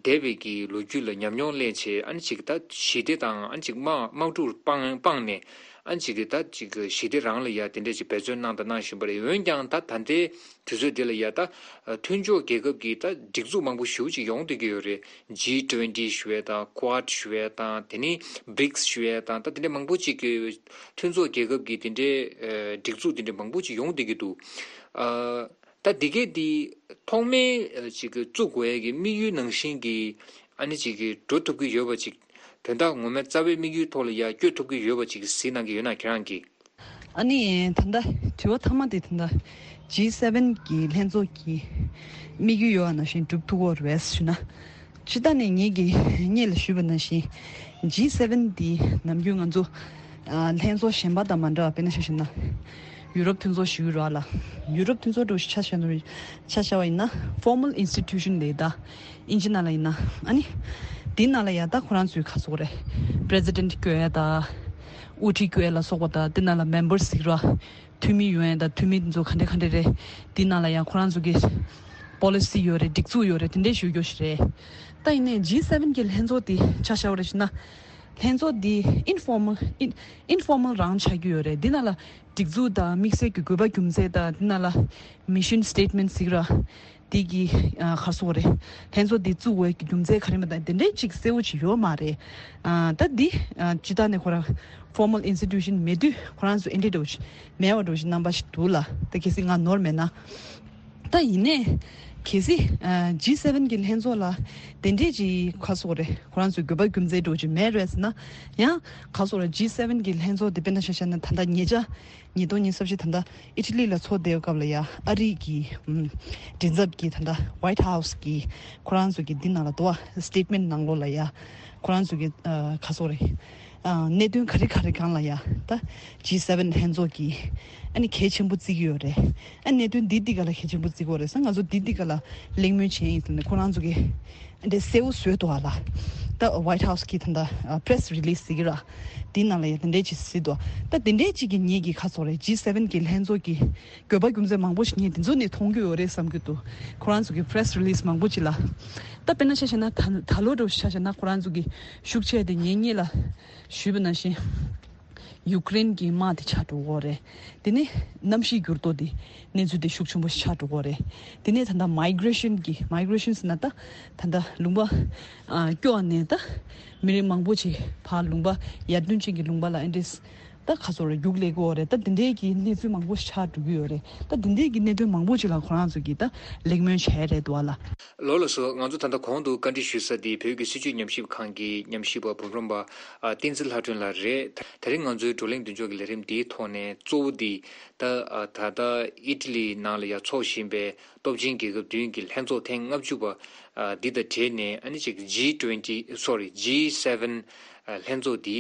འདས་པའི་གི་ལོ་རྒྱུས་ལ་ཉམས་མྱོང་ལེན་བྱས་ཨ་ནི་ཅིག་ད་ཞི་བདེ་དང་ཨ་ནི་ཅིག་དམག་དམག་འཁྲུག་སྤང་སྤངས་ནས་ཨ་ནི་ཅིག་གི་ད་ཅིག་གི་ཞི་བདེ་རང་ལ་ཡ་དེ་འདྲས་ཅིག་འབད་བརྩོན་གནང་དང་གནང་བཞིན་པ་རེད། འོན་ཀྱང་ད་ད་ལྟའི་དུས་ཚོད་འདི་ལ་ཡ་ད་མཐུན་ཕྱོགས་རྒྱལ་ཁབ་ཀྱི་ད་སྒྲིག་འཛུགས་མང་པོ་ཞེ་པོ་ཅིག་ཡོང་བསྡད་ཀྱི་ཡོད་རེད། ཇི་ཊུ་ཝེན་ཊི་ཞུ་ཡས་དང་ཀོཌ་ཞུ་ཡས་དང་དེ་ནས་བྷི་རིགས་ཞུ་ཡས་དང་ད་དེ་འདྲས་མང་པོ་ཅིག་གི་མཐུན་ཚོགས་རྒྱལ་ཁབ་ཀྱི་དེ་འདྲས་ཨ་སྒྲིག་འཛུགས་དེ་འདྲས་མང་པོ་ཅིག་ཡོང་བསྡད་ཀྱི་འདུག་ཨ། ད་འདི་གས་འདི་ཐོག་མའི་ཨ་ཅིག་གི་བཙུགས་དགོས་ཡས་ཀྱི་དམིགས་ཡུལ་ནང་བཞིན་གྱི་ཨ་ནི་ཅིག་གི་འགྲོ་ཐུབ་ཀྱི་ཡོད་པ་ཅིག་དོན་དག་ངོ་མའི་རྩ་བའི་དམིགས་ཡུལ་ཐོག་ལ་ཡ་བསྐྱོད་ཐུབ་ཀྱི་ཡོད་པ་ཅིག་གཟིགས་གནང་གི་ཡོད་ན་ཁྱེད་རང་གིས། ཨ་ནི་ད་ལྟ་དྲི་བ་མཐའ་མ་དེ་ད་ལྟ་ཇི་སེ་ཝེན་གྱི་ལྷན་ཚོགས་ཀྱི་དམིགས་ཡུལ་ཡོད་པ་ནང་བཞིན་འགྲུབ་ཐུབ་ཀྱི་ཡོད་རེད་ཞུ་ན། སྤྱིར་བཏང་ནས་ངེད་ཀྱིས་སྔོན་ལ་ཞུས་པ་ནང་བཞིན་ཇི་སེ་ཝེན་འདི་ནམ་རྒྱུན་ང་ཚོ་ཨ་ལྷན་ཚོགས་གཞན་པ་དང་མ་འདྲ་བ་དཔེར་ན་ཆ་བཞག་ན་ཡུ་རོབ་མཐུན་ཚོགས་ཞུ་གི་རེད་ལ། ཡུ་རོབ་མཐུན་ཚོགས་འདྲ་བོ་ཞིག་ཆ་བཞག་ན་ཆ་བཞག་པ་ཡིན་ན་ཕོར་མལ་ཨིན་སི་ཊི་ཊུ་ཤན་ལབ་ད་ཨིན་ཇི་ནང་ལ་ཡིན་ན་ཨ་ནི་དེ་ནང་ལ་ཡ་ད་ཁོ་རང་ཚོའི་ཁ་སོགས་རེད། པི་རེ་སི་ཌེན་ཊི་བསྐོ་ཡ་ད་དབུ་ཁྲིད་བསྐོ་ཡ་ལ་སོགས་པ་ད་དེ་ནང་ལ་མེམ་བར་ཟིག་ར། འཐུས་མི་ཡོང་ཡ་དང་འཐུས་མི་དེ་ཚོ་ག་འདྲ་ག་འདྲ་རེད། དེ་ནང་ལ་ཡང་ཁོ་རང་ཚོ་གི་པོ་ལི་སི་ཡོད་རེད། སྒྲིག་འཛུགས་ཡོད་རེད། དེ་འདྲས་ཞུ་རྒྱུ་ཞིག་རེད། ད་ཡིན་ནའི་ཇི་སེ་ཝེན་གྱི་ལྷན་ཚོགས་དེ་ཆ་བཞག་པ་རེད་ཞུ་ན། ལྷན་ཚོགས་དེ་ཨིན་ཕོར་མལ་ཨིན་ཨིན་ཕོར་མལ་རང་ཆགས་ཀྱི་ཡོད་རེད། དེ་ནང་ལ་སྒྲིག་འཛུགས་དང་དམིགས་བསལ་གྱི་དགོས་པ་རྒྱུ་མཚན་དང་དེ་ནང་ལ་མི་ཤན་སི་ཊེཊ་མེན་ཊི་ཟེར་གྱི་ར། དེ་གི་ཨ་ག་རེ་ཟེར་དགོས་རེད། ལྷན་ཚོགས་དེ་བཙུགས་དགོས་ཀྱི་རྒྱུ་མཚན་ག་རེ་མ་དང་དེ་འདྲས་ཅིག་གསལ་བོ་ཅིག་ཡོད་མ་རེད། ཨ་ད་འདི་ཨ་སྤྱིར་བཏང་ནས་ཁོ་རང་ཕོར་མལ་ཨིན་སི་ཊི་ཊུ་ཤན་མེད་དུས་ཁོ་རང་ཚོ་ཨེ་འདྲས་འདྲ་བོ་ཞིག་མེད་པ་འདྲ་བོ་ཞིག་རྣམ་པ་ཞིག་འདུག་ལ། ད་གལ་སྲིད་ང་ནོར་མེད་ན། ད་ཡིན་ནའི་གལ་སྲིད་ཨ་ཇི་སེ་ཝེན་གྱི་ལྷན་ཚོགས་ལ་དེ་འདྲས་ཅིག་ག་རེ་ཟེར་དགོས་རེད། ཁོ་རང་ཚོའི་དགོས་པ་རྒྱུ་མཚན་འདྲ་བོ་ཅིག་མེད་རེད་ཟེར་ན་ཡང་ག་རེ་ཟེར་དགོས་རེད། ཇི་སེ་ཝེན་གྱི་ལྷན་ཚོགས་དེ་དཔེར་ན་ཆ་བཞག་ན་ད་ལྟ་ཉེ་ཆར་ཉིས་སྟོང་ཉི་ཤུ་རྩ་བཞི་ད་ལྟ་ཨི་ཊ་ལི་ལ་ཚོགས་བསྡད་པའི་སྐབས་ལ་ཡ་ཨ་རི་གི་ཨམ་མགྲིན་ཚབ་ཀྱིས་ད་ལྟ་ཝའིཊ་ཧའུ་སི་གི་ཁོ་རང་ཚོ་གི་འདི་ནང་ལ་འདུག་བ། སི་ཊེཊ་མེན་ཊི་ནང་ལོགས་ལ་ཡ་ཁོ་རང་ཚོ་གི་ཨ་ག་རེ་ཟེར་དགོས་རེད། ཨ་གནད་དོན་ག་རེ་ག་རེ་སྒང་ལ་ཡ་ད་ཇི་སེ་ཝེན་ལྷན་ཚོགས་ཀྱིས་ཨ་ནི་གལ་ཆེན་པོ་བརྩི་གི་ཡོད་རེད། ཨ་གནད་དོན་འདི་འདི་ག་ལ་གལ་ཆེན་པོ་བརྩི་གི་ཡོད་རེད་ཟེར། ང་ཚོ་འདི་འདི་ག་ལ་གླེང་མོལ་བྱས་ཡིན་ཟེར་ནས་ཁོ་རང་ཚོ་གི་འདི་གསལ་བོ་བཟོས་འདུག་བ་ལ། ད་ཝའིཊ་ཧའུ་སི་གིས་ད་ལྟ་པི་རེ་སི་རི་ལི་སི་ཟེར་གྱི་ར། དེའི་ནང་ལ་ཡང་དེ་འདྲས་ཅིག་གཟིགས་འདུག་ད་དེ་འདྲས་ཅིག་གིས་ངེད་ཀྱིས་ག་རེ་ཟེར་དགོས་རེད། ཇི་སེ་ཝེན་གྱི་ལྷན་ཚོགས་ཀྱི་དགོས་པ་རྒྱུ་མཚན་མང་པོ་ཞིག་ངས་དེ་ཚོ་ནས་མཐོང་རྒྱུ་ཡོད་རེད་བསམ་གྱི་འདུག་ཁོ་རང་ཚོ་གི་པི་རེ་སི་རི་ལི་སི་མང་པོ་ཅིག་ལ། ད་དཔེར་ན་ཆ་བཞག་ན་ད་ད་ལོ་འདྲ་བོ་ཆ་བཞག་ན་ཁོ་རང་ཚོ་གི་ཤུགས་ཆེ་དེ་ངེད་གཉིས་ལ་ཞུས་པ་ནང་བཞིན། ཡུཀ་རེན་གྱི་དམག་དེ་ཆགས་འགྲོ་གི་ཡོད་རེད། དེ་ནས་གནམ་གཤིས་འགྱུར་ལྡོག་དེ་གནས་ཚུལ་དེ་ཤུགས་ཆེན་པོ་ཞིག་ཆགས་འགྲོ་གི་ཡོད་རེད། དེ་ནས་ད་ལྟ་མའི་གྷི་རེ་ཤན་གྱི་མའི་གྷི་རེ་ཤན་ཟེར་ན་ད་ད་ལྟ་ལུང་པ་ཨ་སྐྱོ་བ་ནས་ད་མི་རིགས་མང་པོ་ཅིག་ཕར་ལུང་པ་ཡར་ཐོན་ཅན་གྱི་ལུང་པ་ལ་ཨེ་འདྲས་ད་ག་ཚོད་རེད་རྒྱུགས་སླེབས་ཀྱི་ཡོད་རེད། ད་དེ་འདྲའི་གི་གནས་ཚུལ་མང་པོ་ཞིག་ཆགས་འགྲོ་གི་ཡོད་རེད། ད་དེ་འདྲའི་གི་གནད་དོན་མང་པོ་ཅིག་ལ་ཁོ་རང་ཚོ་གིས་ད་གླེང་མོལ་བྱས་རེད་འདུག་བ་ལ། ལགས་ལགས་སོ། ང་ཚོ་ད་ལྟ་གོང་དུ་བཀའ་འདྲི་ཞུས་ས་དེ་བོད་ཀྱི་སྲིད་བྱུས་ཉམས་ཞིབ་ཁང་གི་ཉམས་ཞིབ་པ་འབུམ་རམས་པ་ཨ་བསྟན་འཛིན་ལྷ་སྒྲོན་ལགས་རེད། ད་རིང་ང་ཚོའི་བགྲོ་གླེང་མདུན་ལྕོག་གི་ལས་རིམ་འདིའི་ཐོག་ནས་གཙོ་བོ་འདི་ད་ཨ་ད་ལྟ་ཨི་ཊ་ལི་ནང་ལ་ཡ་འཚོགས་བཞིན་པའི་སྟོབས་ཆེན་རྒྱལ་ཁབ་བདུན་གྱི་ལྷན་ཚོགས་ཐེངས་ལྔ་བཅུ་པ་ཨ་འདི་དང་འབྲེལ་ནས་ཨ་ནི་ཅིག་ཇི་ཊུ་ཝེན་ཊི་སོ་རི་ཇི་སེ་ཝེན་ལྷན་ཚོགས་འདི།